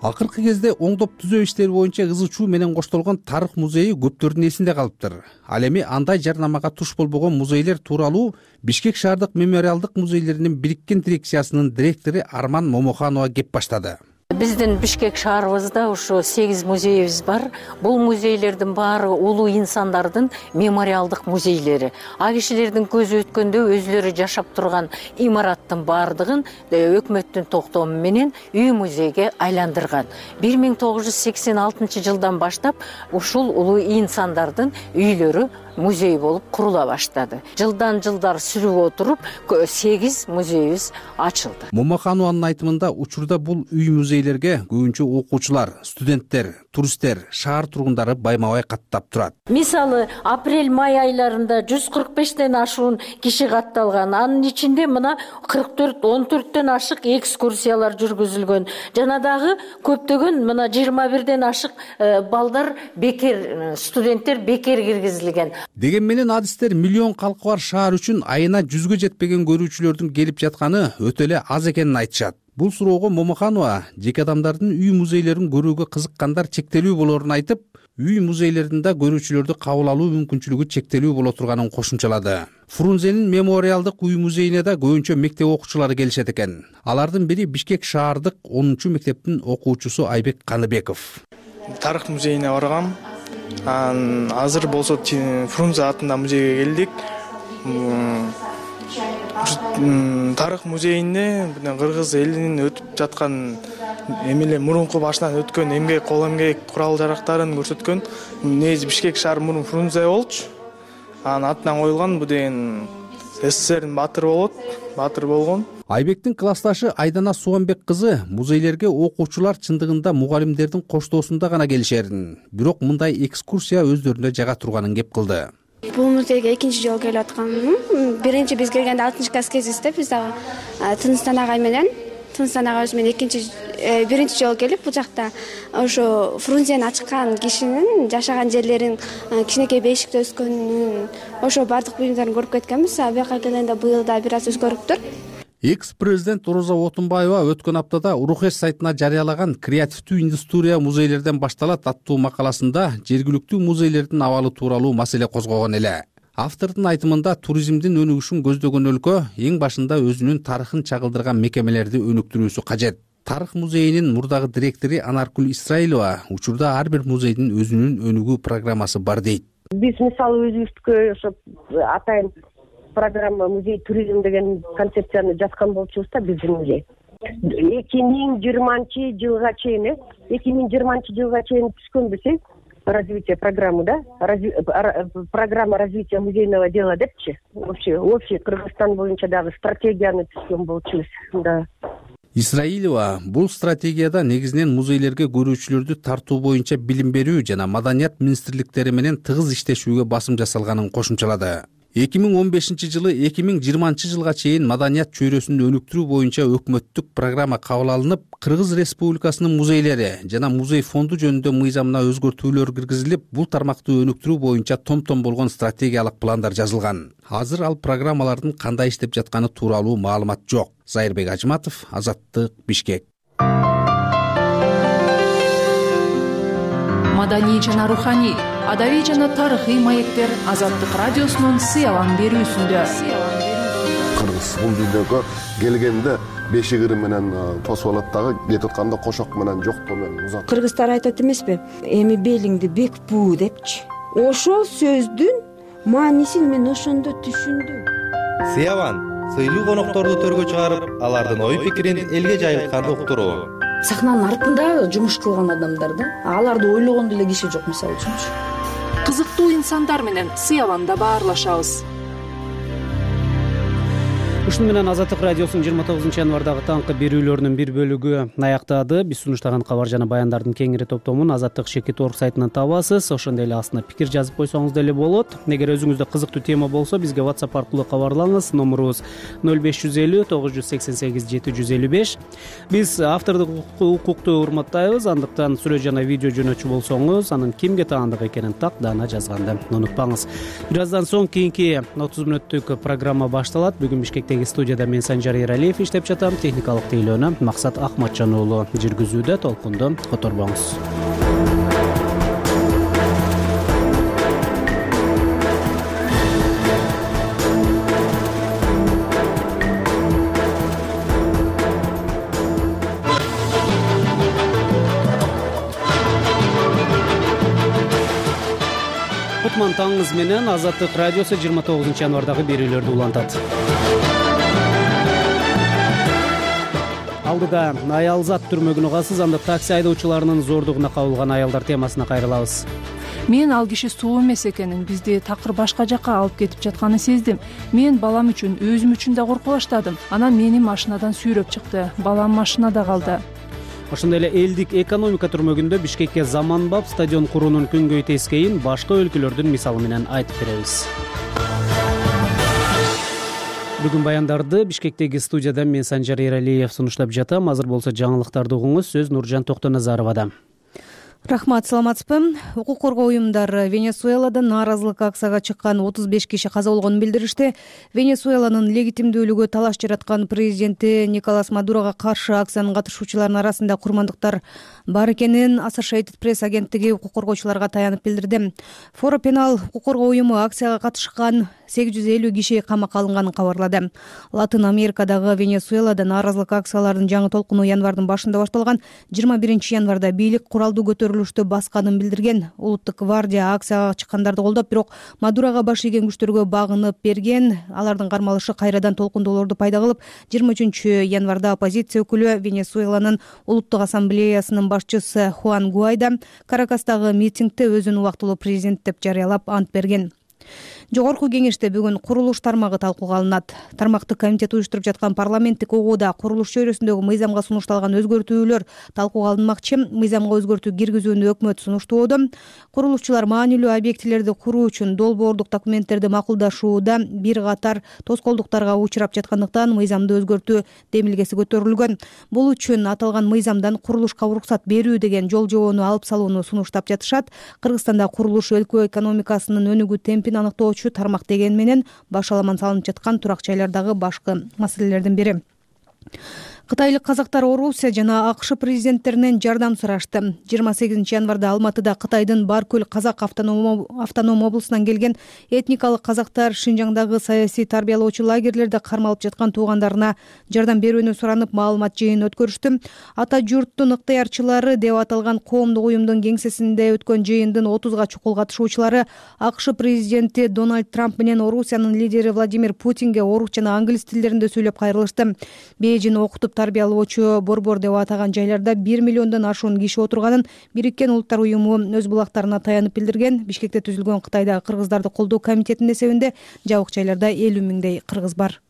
Speaker 17: Акыркы кезде оңдоп түзөө иштери боюнча ызы чуу менен коштолгон тарых музейи көптөрдүн эсинде калыптыр. Ал эми андай жарнамага туш болбогон музейлер тууралуу Бишкек шаардык мемориалдык музейлеринин бириккен дирекциясынын директору Арман Момоханова кеп баштады.
Speaker 21: Биздин Бишкек шаарыбызда ушу 8 музейибиз бар. Бул музейлердин баары улуу инсандардын мемориалдык музейлери. А кишилердин көзү өткөндө өзүлөрү жашап турган имараттын баардыгын өкмөттүн токтому менен үй музейге айландырган. 1986 жылдан баштап ушул улуу инсандардын үйлөрү музей болуп курула баштады. Жылдан жылдар сүрүп отуруп 8 музейибиз ачылды.
Speaker 17: Момоханованын айтымында учурда бул үй музейлерге көбүнчө окуучулар, студенттер, туристтер, шаар тургундары байма-бай каттап турат.
Speaker 21: Мисалы, апрель-май айларында 145тен ашуун киши катталган. Анын ичинде мына 14 ашык экскурсиялар жүргүзүлгөн. Жана дагы көптөгөн мына 21ден ашык балдар бекер, студенттер бекер киргизилген.
Speaker 17: Деген менен адистер миллион калкы бар шаар үчүн айына 100гө жетпеген көрүүчүлөрдүн келип жатканы өтө эле аз экенин айтышат. Бул суроого Момоханова жеке адамдардын үй музейлерин көрүүгө кызыккандар чектелүү болорун айтып, үй музейлеринде көрүүчүлөрдү кабыл алуу мүмкүнчүлүгү чектелүү боло турганын кошумчалады. Фрунзенин мемориалдык үй музейине да көбүнчө мектеп окуучулары келишет экен. Алардын бири Бишкек шаардык 10-мектептин окуучусу Айбек Каныбеков.
Speaker 22: Тарых музейине баргам. Азыр болсо Фрунзе атында музейге келдик. Тарых музейине кыргыз элинин өтүп жаткан эмеле мурунку башынан өткөн эмгек, кол эмгек курал жарактарын көрсөткөн. Негизи Бишкек шаар мурун Фрунзе болчу. Анын атынан коюлган бу деген СССРдин баатыры болот, баатыр болгон.
Speaker 17: Айбектин классташы Айдана Суганбек кызы музейлерге окуучулар чындыгында мугалимдердин коштоосунда гана келишерин, бирок мындай экскурсия өздөрүнө жага турганын кеп кылды.
Speaker 23: Бул музейге экинчи жолу келип аткам. Биринчи биз келгенде 6-класс кезибизде биз дагы Тыныстан агай менен биринчи жолу келип бул жакта ошо Фрунзени ачкан кишинин жашаган жерлерин, кичинекей бешикте өскөнүн, ошо бардык буюмдарын көрүп кеткенбиз. Бияка келгенде быйыл да бир аз өзгөрүптүр.
Speaker 17: Экс-президент Роза Отунбаева өткөн аптада Урухеш сайтына жарыялаган «Креативдүү индустрия музейлерден башталат» аттуу макаласында жергиликтүү музейлердин абалы тууралуу маселе козгогон эле. Автордун айтымында туризмдин өнүгүшүн көздөгөн өлкө эң башында өзүнүн тарыхын чагылдырган мекемелерди өнүктүрүүсү кажет. Тарых музейинин мурдагы директору Анаркул Исраилова учурда ар бир музейдин өзүнүн өнүгүү программасы бар дейт.
Speaker 24: Биз мисалы өзүбүзгө ошо атайын программа музей туризм деген концепцияны жазган болчубуз да биздин музей. 2020 жылга чейин, 2020 жылга чейин түшкөнбүз развитие программы да, программа развития музейного дела депчи. Общий Кыргызстан боюнча дагы стратегияны түзгөн болчубуз. Да.
Speaker 17: Исраилова бул стратегияда негизинен музейлерге көрүүчүлөрдү тартуу боюнча билим берүү жана маданият министрликтери менен тыгыз иштешүүгө басым жасалганын кошумчалады. 2015 жылы 2020 жылга чейин маданият чөйрөсүн өнүктүрүү боюнча өкмөттүк программа кабыл алынып, Кыргыз Республикасынын музейлери жана музей фонду жөнүндө мыйзамына өзгөртүүлөр киргизилип, бул тармакты өнүктүрүү боюнча том-том болгон стратегиялык пландар жазылган. Азыр ал программалардын кандай иштеп жатканы тууралуу маалымат жок. Зайырбек Ажматов, Азаттык, Бишкек.
Speaker 11: Маданий жана руханий, адабий жана тарыхый маектер Азаттык радиосунун сыялан берүүсүндө.
Speaker 25: Кыргыз бул дүйнөгө келгенде бешигири менен тосуп алат дагы, кетип атканда кошок менен жоктоо менен узат.
Speaker 26: Кыргыздар айтат эмеспи? Эми белиңди бек буу депчи. Ошол сөздүн маанисин мен ошондо түшүндүм.
Speaker 27: Сыялан сыйлуу конокторду төргө чыгарып, алардын ой пикирин элге жайылтканды уктуруу.
Speaker 28: Сахнанын артында жумуш кылган адамдар да, аларды ойлогон деле киши жок мисалы үчүнчү.
Speaker 11: Кызыктуу инсандар менен сыяланда баарлашабыз.
Speaker 2: Ушуну менен Азаттык радиосунун 29 январдагы таңкы берүүлөрүнүн бир бөлүгү аяктады. Биз сунуштаган кабар жана баяндардын кеңири топтомун Азаттык Шекет.org сайтынан табасыз. Ошондой эле астына пикир жазып койсоңуз деле болот. Эгер өзүңүздө кызыктуу тема болсо, бизге WhatsApp аркылуу кабарлаңыз. Номерубуз 0550 988 755. Биз автордук укукту урматтайбыз. Андыктан сүрөт жана видео жөнөтчү болсоңуз, анын кимге таандык экенин тактаана жазганды унутпаңыз. Бир аздан соң кийинки 30 мүнөттүк программа башталат. Бүгүн Бишкектеги студияда мен Санжар Эралиев иштеп жатам. Техникалык тейлөөнү Максат Ахматжан уулу жүргүзүүдө. Толкунду которбоңуз. Кутман таңыңыз менен Азаттык радиосу 29 январдагы берүүлөрдү улантат. Алдыда аялзат түрмөгүн угасыз, анда такси айдоочуларынын зордугуна кабылган аялдар темасына кайрылабыз.
Speaker 11: Мен ал киши суу эмес экенин, бизди такыр башка жакка алып кетип жатканын сездим. Мен балам үчүн, өзүм үчүн да коркуп баштадым. Анан мени машинадан сүйрөп чыкты. Балам машинада калды.
Speaker 2: Ошондой эле элдик экономика түрмөгүндө Бишкекке заманбап стадион куруунун күнгөй тескейин башка өлкөлөрдүн мисалы менен айтып беребиз. Бүгүн баяндарды Бишкектеги студияда мен Санжар Эралиев сунуштап жатам. Азыр болсо жаңылыктарды угуңуз. Сөз Нуржан Токтоназаровада.
Speaker 3: Рахмат, саламатсызбы? Укук коргоо уюмдары Венесуэлада нааразылык акцияга чыккан 35 киши каза болгонун билдиришти. Венесуэланын легитимдүүлүгү талаш жараткан президенти Николас Мадурога каршы акциянын катышуучуларынын арасында курмандыктар бар экенин Associated Press агенттиги укук коргоочуларга таянып билдирди. Форо Пенал укук коргоо уюму акцияга катышкан 850 киши камакка алынганын кабарлады. Латын Америкадагы Венесуэлада нааразылык акцияларынын жаңы толкуну январдын башында башталган. 21 январда бийлик куралдуу көтөрүлүштү басканын билдирген. Улуттук гвардия акцияга чыккандарды колдоп, бирок Мадурага баш ийген күчтөргө багынып берген. Алардын кармалышы кайрадан толкундоолорду пайда кылып, 23 январда оппозиция өкүлү Венесуэланын улуттук ассамблеясынын башчысы Хуан Гуайдо Каракастагы митингде өзүн убактылуу президент деп жарыялап ант берген. Жогорку кеңеште бүгүн курулуш тармагы талкууга алынат. Тармактык комитет уюштуруп жаткан парламенттик угууда курулуш чөйрөсүндөгү мыйзамга сунушталган өзгөртүүлөр талкууга алынмакчы. Мыйзамга өзгөртүү киргизүүнү өкмөт сунуштоодо. Курулушчулар маанилүү объектилерди куруу үчүн долбоордук документтерди макулдашууда бир катар тоскоолдуктарга учурап жаткандыктан мыйзамды өзгөртүү демилгеси көтөрүлгөн. Бул үчүн аталган мыйзамдан курулушка уруксат берүү деген жол жобону алып салууну сунуштап жатышат. Кыргызстанда курулуш өлкө экономикасынын өнүгүү темпин аныктоочу тармак деген менен башаламан салынып жаткан турак жайлардагы башкы маселелердин бири. Кытайлык казактар Орусия жана АКШ президенттеринен жардам сурашты. 28 январда Алматыда Кытайдын Баркөл казак автоном облусунан келген этникалык казактар Шинжаңдагы саясий тарбиялоочу лагерлерде кармалып жаткан туугандарына жардам берүүнү суранып маалымат жыйын өткөрүштү. Ата журттун ыктыярчылары деп аталган коомдук уюмдун кеңсесинде өткөн жыйындын 30га чукул катышуучулары АКШ президенти Дональд Трамп менен Орусиянын лидери Владимир Путинге орус жана англис тилдеринде сүйлөп кайрылышты. Бейжин окутуп тарбиялоочу борбор деп атаган жайларда 1 миллиондон ашуун киши отурганын Бириккен Улуттар уюму өз булактарына таянып билдирген. Бишкекте түзүлгөн Кытайдагы кыргыздарды колдоо комитетинин эсебинде жабык жайларда 50 миңдей кыргыз бар.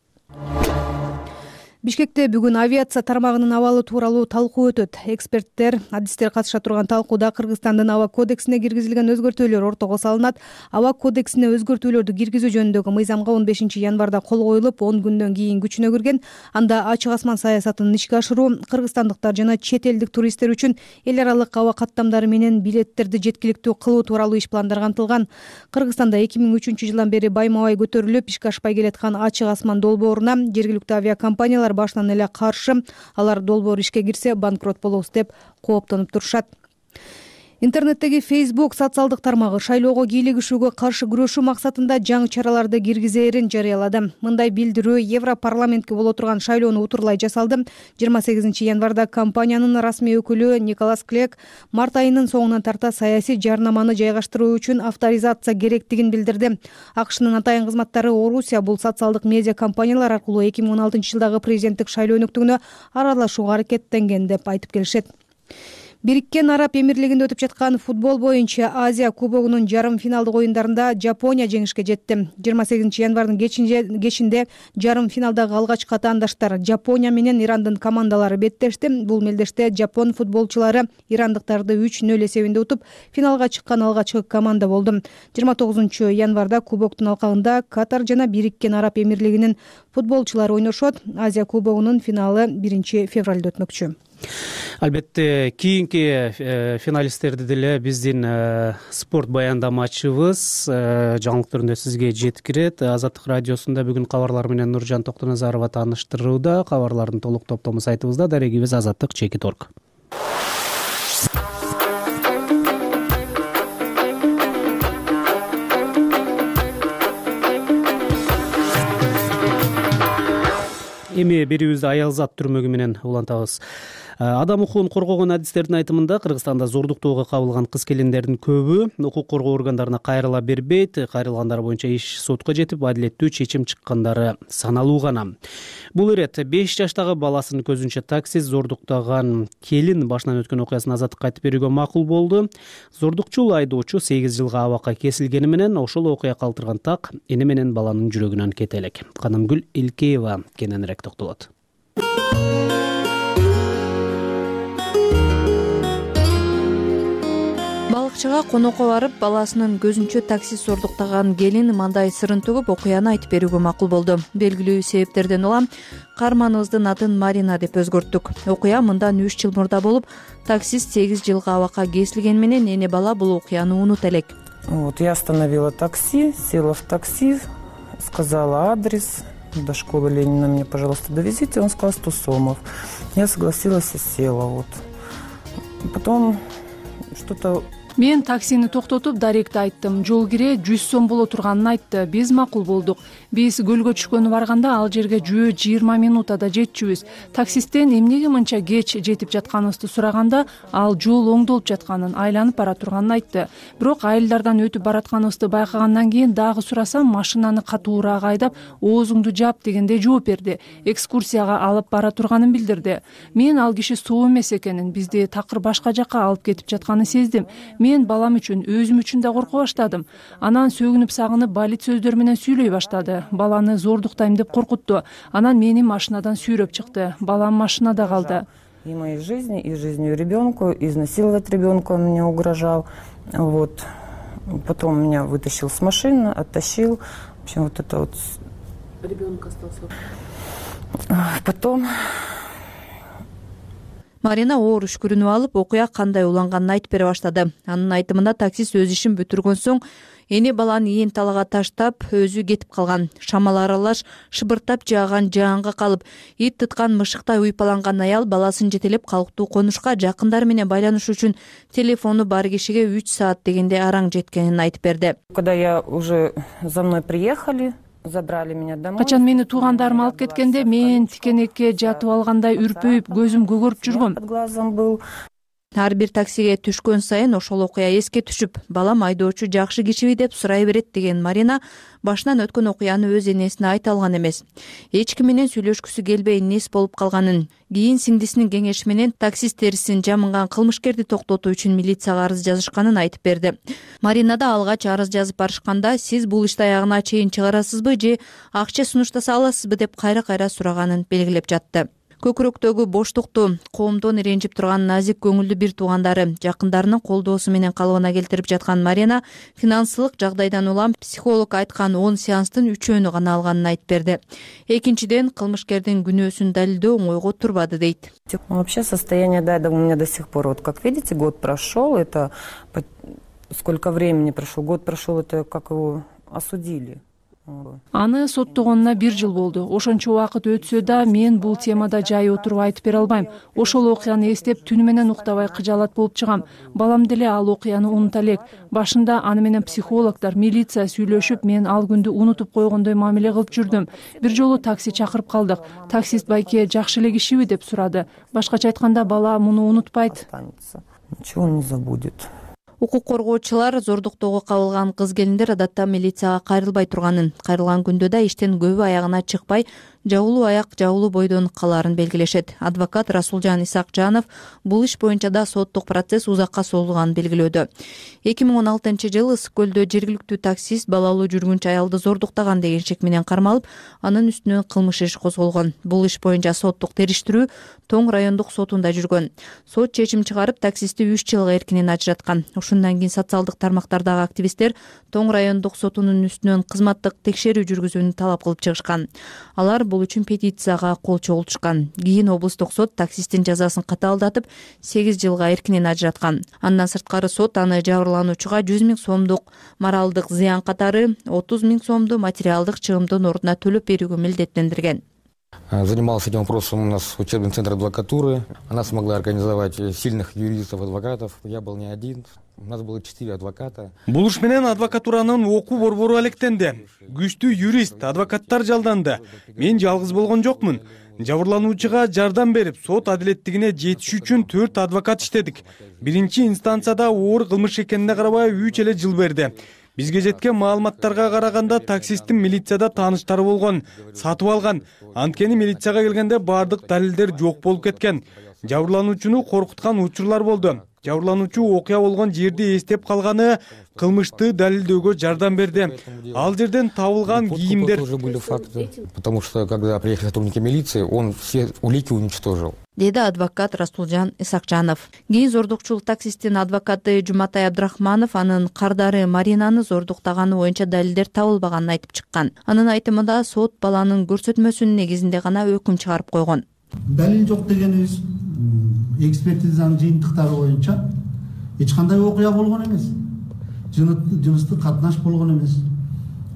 Speaker 3: Бишкекте бүгүн авиация тармагынын абалы тууралуу талкуу өтөт. Эксперттер, адистер катыша турган талкууда Кыргызстандын аба кодексине киргизилген өзгөртүүлөр ортого салынат. Аба кодексине өзгөртүүлөрдү киргизүү жөнүндөгү мыйзамга 15 январда кол коюлуп, 10 күндөн кийин күчүнө кирген. Анда ачык асман саясатын ишке ашыруу, кыргызстандыктар жана чет элдик туристтер үчүн эл аралык аба каттамдары менен билеттерди жеткиликтүү кылуу тууралуу иш пландар камтылган. Кыргызстанда 2003 жылдан бери байма-бай көтөрүлүп, ишке ашпай келаткан ачык асман долбооруна жергиликтүү авиакомпаниялар башынан эле каршы. Алар долбоор ишке кирсе банкрот болобуз деп кооптонуп турушат. Интернеттеги Facebook социалдык тармагы шайлоого кийлигишүүгө каршы күрөшүү максатында жаңы чараларды киргизээрин жарыялады. Мындай билдирүү Европарламентке боло турган шайлоону утурлай жасалды. 28 январда компаниянын расмий өкүлү Николас Клек март айынын соңунан тарта саясий жарнаманы жайгаштыруу үчүн авторизация керектигин билдирди. АКШнын атайын кызматтары Орусия бул социалдык медиа компаниялар аркылуу 2016 жылдагы президенттик шайлоо өнүктүгүнө аралашууга аракеттенген деп айтып келишет. Бириккен Араб Эмирлигинде өтүп жаткан футбол боюнча Азия кубогунун жарым финалдык оюндарында Жапония жеңишке жетти. 28 январдын кечинде жарым финалдагы алгачкы атаандаштар Жапония менен Ирандын командалары беттешти. Бул мелдеште жапон футболчулары ирандыктарды 3-0 эсебинде утуп, финалга чыккан алгачкы команда болду. 29 январда кубоктун алкагында Катар жана Бириккен Араб Эмирлигинин футболчулары ойношот. Азия кубогунун финалы 1 февралда өтмөкчү.
Speaker 2: Албетте кийинки финалисттерди деле биздин спорт баяндамачыбыз жаңылык түрүндө сизге жеткирет. Азаттык радиосунда бүгүн кабарлар менен Нуржан Токтоназарова тааныштырууда. Кабарлардын толук топтому сайтыбызда, дарегибиз azattik.org. Эми берүүбүздү аялзат түрмөгү менен улантабыз. Адам укугун коргогон адистердин айтымында Кыргызстанда зордуктоого кабылган кыз-келиндердин көбү укук коргоо органдарына кайрыла бербейт. Кайрылгандар боюнча иш сотко жетип, адилеттүү чечим чыккандары саналуу гана. Бул ирет 5 жаштагы баласын көзүнчө таксист зордуктаган келин башынан өткөн окуясын азаттыкка айтып берүүгө макул болду. Зордукчул айдоочу 8 жылга абакка кесилгени менен ошол окуя калтырган так эне менен баланын жүрөгүнөн кете элек. Канымгүл Илкеева кененирээк токтолот.
Speaker 1: Балыкчыга конокко барып, баласынын көзүнчө таксист зордуктаган келин мындай сырын төгүп окуяны айтып берүүгө макул болду. Белгилүү себептерден улам каарманыбыздын атын Марина деп өзгөрттүк. Окуя мындан 3 жыл мурда болуп, таксист 8 жылга абакка кесилгени менен эне бала бул окуяны унута элек.
Speaker 4: Я остановила такси, села в такси, сказала адрес. До школы Ленина мне, пожалуйста, довезите. Он сказал 100 сомов. Я согласилась и села. Потом что-то...
Speaker 11: Мен таксини токтотуп даректи айттым. Жол кире 100 сом боло турганын айтты. Биз макул болдук. Биз көлгө түшкөнү барганда ал жерге жөө 20 минутада жетчүбүз. Таксисттен эмнеге мынча кеч жетип жатканыбызды сураганда, ал жол оңдолуп жатканын, айланып бара турганын айтты. Бирок айылдардан өтүп баратканыбызды байкагандан кийин дагы сурасам, машинаны катуураак айдап, оозуңду жап дегенде жооп берди. Экскурсияга алып бара турганын билдирди. Мен ал киши соо эмес экенин, бизди такыр башка жакка алып кетип жатканын сездим. Мен балам үчүн, өзүм үчүн да корко баштадым. Анан сөгүнүп сагынып балит сөздөр менен сүйлөй баштады. Баланы зордуктайм деп коркутту. Анан мени машинадан сүйрөп чыкты. Балам машинада калды.
Speaker 4: И моей жизни, и жизнью ребенку, изнасиловать ребенка он мне угрожал. Потом меня вытащил с машины, оттащил. В общем, это
Speaker 1: Ребенок остался.
Speaker 4: Потом...
Speaker 1: Марина оор үшкүрүнүп алып, окуя кандай уланганын айтып бере баштады. Анын айтымында таксист өз ишин бүтүргөн соң эне баланы ийин талага таштап, өзү кетип калган. Шамал аралаш шыбыртап жааган жаанга калып, ит тыткан мышыктай уйпаланган аял баласын жетелеп калктуу конушка жакындары менен байланыш үчүн телефону бар кишиге 3 саат дегенде араң жеткенин айтып берди.
Speaker 4: Когда я уже за мной приехали, забрали меня домой.
Speaker 11: Качан мени туугандарым алып кеткенде, мен тикенекке жатып алгандай үрпөйүп, көзүм көгөрүп жүргөм.
Speaker 4: Под глазом был.
Speaker 1: Ар бир таксиге түшкөн сайын ошол окуя эске түшүп, балам айдоочу жакшы кишиби деп сурай берет деген Марина башынан өткөн окуяны өз энесине айта алган эмес. Эч ким менен сүйлөшкүсү келбей нес болуп калганын, кийин сиңдисинин кеңеши менен таксист терисин жамынган кылмышкерди токтотуу үчүн милицияга арыз жазышканын айтып берди. Марина да алгач арыз жазып барышканда, сиз бул ишти аягына чейин чыгарасызбы же акча сунуштаса аласызбы деп кайра-кайра сураганын белгилеп жатты. Көкүрөктөгү боштукту, коомдон иренжип турган назик көңүлдүү бир туугандары, жакындарынын колдоосу менен калыбына келтирип жаткан Марина финансылык жагдайдан улам психолог айткан 10 сеанстын 3-өөнү гана алганын айтып берди. Экинчиден, кылмышкердин күнөөсүн далилдөө оңойго турбады дейт.
Speaker 4: Вообще состояние у меня до сих пор, как видите, год прошел, это сколько времени прошел, год прошел, это как его осудили.
Speaker 11: Аны соттогонуна 1 жыл болду. Ошончо убакыт өтсө да мен бул темада жай отуруп айтып бере албайм. Ошол окуяны эстеп түнү менен уктабай кыжаалат болуп чыгам. Балам деле ал окуяны унута элек. Башында аны менен психологдор, милиция сүйлөшүп, мен ал күндү унутуп койгондой мамиле кылып жүрдүм. Бир жолу такси чакырып калдык. Таксист байке жакшы эле кишиби деп сурады. Башкача айтканда, бала муну унутпайт.
Speaker 4: Ничего не забудет.
Speaker 1: Укук коргоочулар зордуктоого кабылган кыз-келиндер адатта милицияга кайрылбай турганын, кайрылган күндө да иштен көбү аягына чыкпай, жабулуу аяк жабулуу бойдон калаарын белгилешет. Адвокат Расулжан Исакжанов бул иш боюнча да соттук процесс узакка созулганын белгилөөдө. 2016-жылы Ысык көлдө жергиликтүү таксист балалуу жүргүнчү аялды зордуктаган деген шек менен кармалып, анын үстүнөн кылмыш иши козголгон. Бул иш боюнча соттук териштирүү Тоң райондук сотунда жүргөн. Сот чечим чыгарып, таксистти 3 жылга эркинен ажыраткан. Ушундан кийин социалдык тармактардагы активисттер Тоң райондук сотунун үстүнөн кызматтык текшерүү жүргүзүүнү талап кылып чыгышкан. Алар бул үчүн петицияга кол чогултушкан. Кийин облустук сот таксисттин жазасын катаалдатып, 8 жылга эркинен ажыраткан. Андан сырткары сот аны жабырлануучуга 100 000 сомдук моралдык зыян катары 30 000 сомду материалдык чыгымдын ордуна төлөп берүүгө милдеттендирген.
Speaker 5: Занимался этим вопросом у нас учебный центр адвокатуры. Она смогла организовать сильных юристов-адвокатов. Я был не один. У нас было 4 адвоката.
Speaker 6: Бул иш менен адвокатуранын окуу борбору алектенди. Күчтүү юрист, адвокаттар жалданды. Мен жалгыз болгон жокмун. Жабырлануучуга жардам берип, сот адилеттигине жетиш үчүн 4 адвокат иштедик. Биринчи инстанцияда оор кылмыш экенине карабай 3 эле жыл берди. Бизге жеткен маалыматтарга караганда таксисттин милицияда тааныштары болгон, сатып алган. Анткени милицияга келгенде бардык далилдер жок болуп кеткен. Жабырлануучуну коркуткан учурлар болду. Жабырлануучу окуя болгон жерди эстеп калганы кылмышты далилдөөгө жардам берди. Ал жерден табылган кийимдер.
Speaker 5: Потому что когда приехали сотрудники милиции, он все улики уничтожил.
Speaker 1: Деди адвокат Расулжан Исакжанов. Кийин зордукчулук таксисттин адвокаты Жуматай Абдрахманов анын кардары Маринаны зордуктаганы боюнча далилдер табылбаганын айтып чыккан. Анын айтымында сот баланын көрсөтмөсүнүн негизинде гана өкүм чыгарып койгон.
Speaker 8: Далил жок дегенибиз экспертизанын жыйынтыктары боюнча эч кандай окуя болгон эмес. Жыныстык катнаш болгон эмес.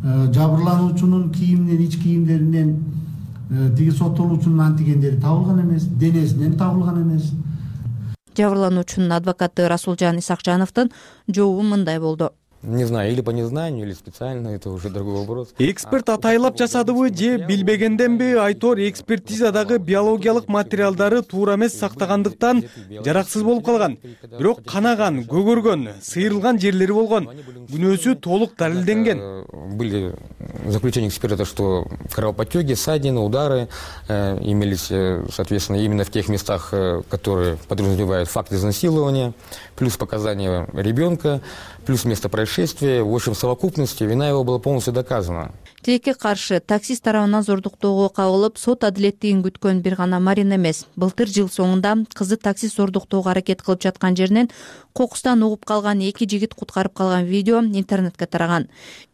Speaker 8: Жабырлануучунун кийиминен, ич кийимдеринен тиги соттолуучунун антигендери табылган эмес, денесинен табылган эмес.
Speaker 1: Жабырлануучунун адвокаты Расулжан Исакжановдун жообу мындай болду.
Speaker 5: Не знаю, или по незнанию, или специально, это уже другой вопрос.
Speaker 6: Эксперт атайлап жасадыбы же билбегенденби? Айтор экспертизадагы биологиялык материалдары туура эмес сактагандыктан жараксыз болуп калган. Бирок канаган, көгөргөн, сыйрылган жерлери болгон. Күнөөсү толук далилденген.
Speaker 5: Были заключения эксперта, что кровоподтеки, ссадины, удары имелись, соответственно, именно в тех местах, которые подразумевают факт изнасилования, плюс показания ребенка, плюс место происшествия. В общем, в совокупности вина его была полностью доказана.
Speaker 1: Тилекке каршы таксист тарабынан зордуктоого кабылып, сот адилеттигин күткөн бир гана Марина эмес. Былтыр жыл соңунда кызы таксист зордуктоого аракет кылып жаткан жеринен кокустан угуп калган 2 жигит куткарып калган видео интернетке тараган.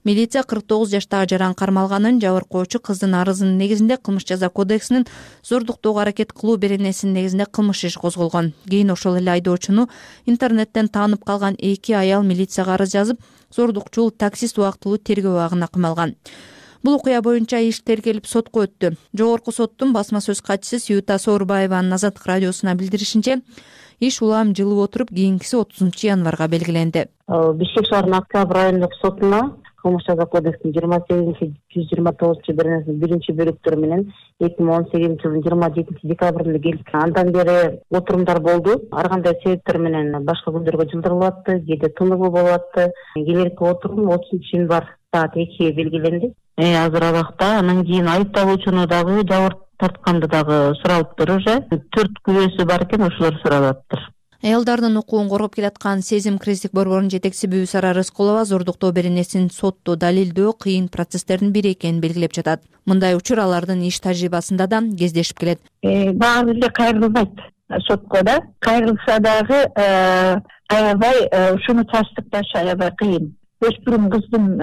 Speaker 1: Милиция 49 жаштагы жаран кармалганын, жабыркоочу кыздын арызынын негизинде кылмыш жаза кодексинин зордуктоого аракет кылуу беренесинин негизинде кылмыш иши козголгон. Кийин ошол эле айдоочуну интернеттен таанып калган 2 аял милицияга арыз жазып, зордукчул таксист убактылуу тергөө абагына камалган. Бул окуя боюнча иш тергелип сотко өттү. Жогорку соттун басма сөз катчысы Сюта Соорбаеванын Азаттык радиосуна билдиришинче, иш улам жылып отуруп кийинкиси 30 январга белгиленди.
Speaker 9: Бишкек шаарынын Октябрь райондук сотуна кылмыш жаза кодексинин 28-129 беренесинин 1-бөлүктөрү менен 2018-жылдын 27 декабрында келип, андан бери отурумдар болду. Ар кандай себептер менен башка күндөргө жылдырылып атты, кээде тыныгуу болуп атты. Келерки отурум 30 январь саат 2 белгиленди. Азыр абакта анан кийин айыпталуучуну дагы жабыр тартканды дагы суралыптыр уже. 4 күбөсү бар экен, ошолор суралаптыр.
Speaker 1: Аялдардын укугун коргоп келаткан Сезим кризистик борборунун жетекчиси Бүбүсара Рыскулова зордуктоо беренесин сотто далилдөө кыйын процесстердин бири экенин белгилеп жатат. Мындай учур алардын иш тажрыйбасында да кездешип келет.
Speaker 9: Баары эле кайрылбайт сотко да. Кайрылса дагы аябай ушуну тастыкташ аябай кыйын. Өспүрүм кыздын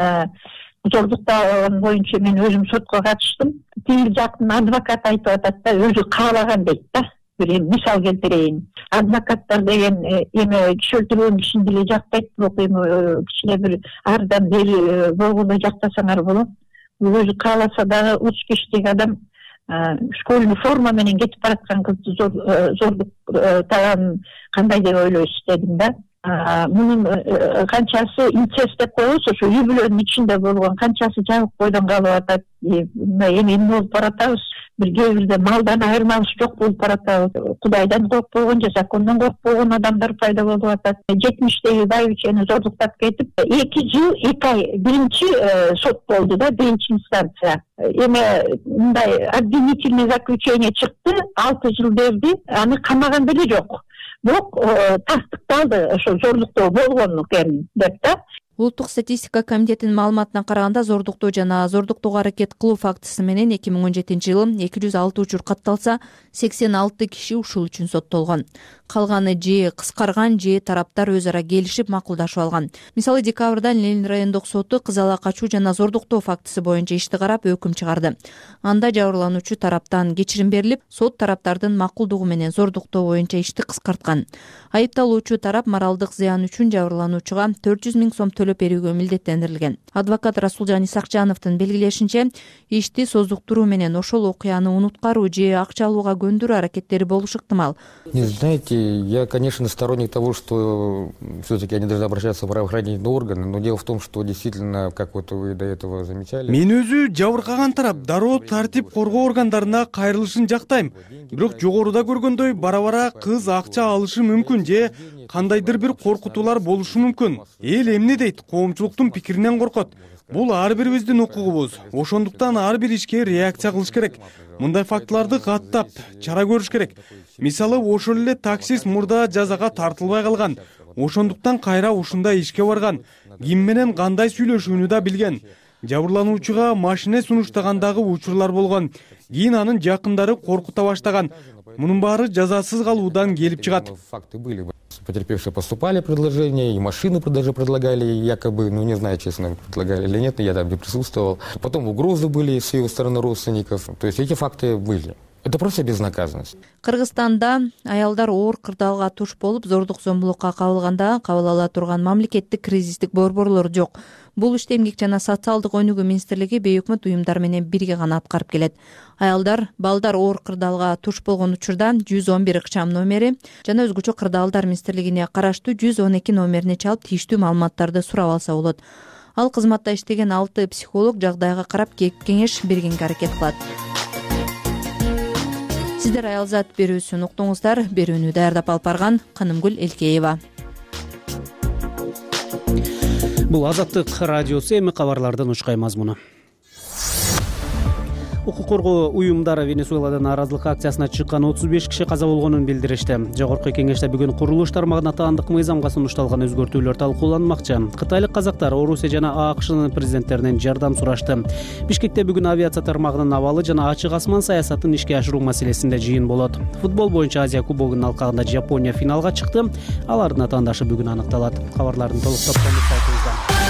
Speaker 9: зордуктаган боюнча мен өзүм сотко катыштым. Тиги жактын адвокаты айтып атат да, өзү каалаган дейт да. Bir misal keltireyim. Advokatlar деген эме киши өлтүргөн кишини деле жактайт, бирок эми кичине бир ардан бери болгондой жактасаңар болот. Өзү кааласа дагы 3 кишилик адам школьный форма менен кетип бараткан кызды зордуктаган кандай деп ойлойсуз дедим да. Мунун канчасы инцест деп коебуз, ошо үй бүлөнүн ичинде болгон, канчасы жабык бойдон калып атат, эми эмне болуп баратабыз, бир кээ бирде малдан айырмабыз жок болуп баратабыз. Кудайдан коркпогон же закондон коркпогон адамдар пайда болуп атат. 70-теги байбичени зордуктап кетип 2 жыл 2 ай биринчи сот болду да, биринчи инстанция. Эми мындай обвинительный заключение чыкты, 6 жыл берди, аны камаган деле жок. Бирок тастыкталды ошо зордуктоо болгон экен деп да.
Speaker 1: Улуттук статистика комитетинин маалыматына караганда зордуктоо жана зордуктоого аракет кылуу фактысы менен 2017-жылы 206 учур катталса, 86 киши ушул үчүн соттолгон. Калганы же кыскарган, же тараптар өз ара келишип макулдашып алган. Мисалы, декабрда Ленин райондук соту кыз ала качуу жана зордуктоо фактысы боюнча ишти карап өкүм чыгарды. Анда жабырлануучу тараптан кечирим берилип, сот тараптардын макулдугу менен зордуктоо боюнча ишти кыскарткан. Айыпталуучу тарап моралдык зыян үчүн жабырлануучуга 400 000 сом төлөп берүүгө милдеттендирилген. Адвокат Расулжан Исакжановдун белгилешинче, ишти создуктуруу менен ошол окуяны унуткаруу же акча алууга көндүрүү аракеттери болушу ыктымал.
Speaker 5: Не знаете, я, конечно, сторонник того, что все-таки они должны обращаться в правоохранительные органы, но дело в том, что действительно, как вот вы до этого замечали.
Speaker 6: Мен өзү жабыркаган тарап дароо тартип коргоо органдарына кайрылышын жактайм. Бирок жогоруда көргөндөй бара-бара кыз акча алышы мүмкүн же кандайдыр бир коркутуулар болушу мүмкүн. Эл эмне дейт? Коомчулуктун пикиринен коркот. Бул ар бирибиздин укугубуз. Ошондуктан ар бир ишке реакция кылыш керек. Мындай фактыларды каттап, чара көрүш керек. Мисалы, ошол эле таксист мурда жазага тартылбай калган. Ошондуктан кайра ушундай ишке барган. Ким менен кандай сүйлөшүүнү да билген. Жабырлануучуга машина сунуштагандагы учурлар болгон. Кийин анын жакындары коркута баштаган. Мунун баары жазасыз калуудан келип чыгат.
Speaker 5: Факты были. Потерпевшие поступали предложения, и машины даже предлагали, якобы, не знаю, честно, предлагали или нет, но я там не присутствовал. Потом угрозы были с его стороны родственников. То есть эти факты были. Это просто безнаказанность.
Speaker 1: Кыргызстанда аялдар оор кырдаалга туш болуп, зордук зомбулукка кабылганда кабыл ала турган мамлекеттик кризистик борборлор жок. Бул ишти Эмгек жана социалдык өнүгүү министрлиги бейөкмөт уюмдар менен бирге гана аткарып келет. Аялдар, балдар оор кырдаалга туш болгон учурда 111 ыкчам номери жана өзгөчө кырдаалдар министрлигине караштуу 112 номерине чалып тийиштүү маалыматтарды сурап алса болот. Ал кызматта иштеген 6 психолог жагдайга карап кеңеш бергенге аракет кылат. Сиздер Аялзат берүүсүн уктуңуздар. Берүүнү даярдап алып барган Канымгүл Элкеева.
Speaker 2: Бул Азаттык радиосу, эми кабарлардын учкай мазмуну. Укук коргоо уюмдары Венесуэладын нааразылык акциясына чыккан 35 киши каза болгонун билдиришти. Жогорку кеңеште бүгүн курулуш тармагына таандык мыйзамга сунушталган өзгөртүүлөр талкууланмакчы. Кытайлык казактар Орусия жана АКШнын президенттеринен жардам сурашты. Бишкекте бүгүн авиация тармагынын абалы жана ачык асман саясатын ишке ашыруу маселесинде жыйын болот. Футбол боюнча Азия кубогунун алкагында Жапония финалга чыкты. Алардын атаандашы бүгүн аныкталат. Кабарлардын толук топторун сайтыбызда.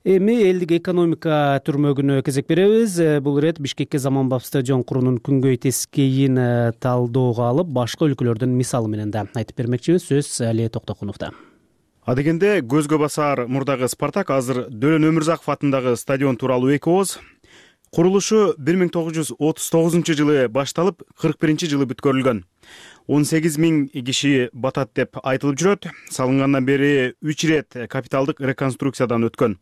Speaker 2: Эми элдик экономика түрмөгүнө кезек беребиз. Бул ирет Бишкекке заманбап стадион куруунун күнгөй тескейин талдоого алып, башка өлкөлөрдүн мисалы менен да айтып бермекчибиз. Сөз Алия Токтокуновдо.
Speaker 7: Адегенде көзгө басар мурдагы Спартак азыр Дөлөн Өмүрзаков атындагы стадион тууралуу эки ооз. Курулушу 1939-жылы башталып, 41-жылы бүткөрүлгөн. 18 000 киши батат деп айтылып жүрөт. Салынгандан бери 3 ирет капиталдык реконструкциядан өткөн.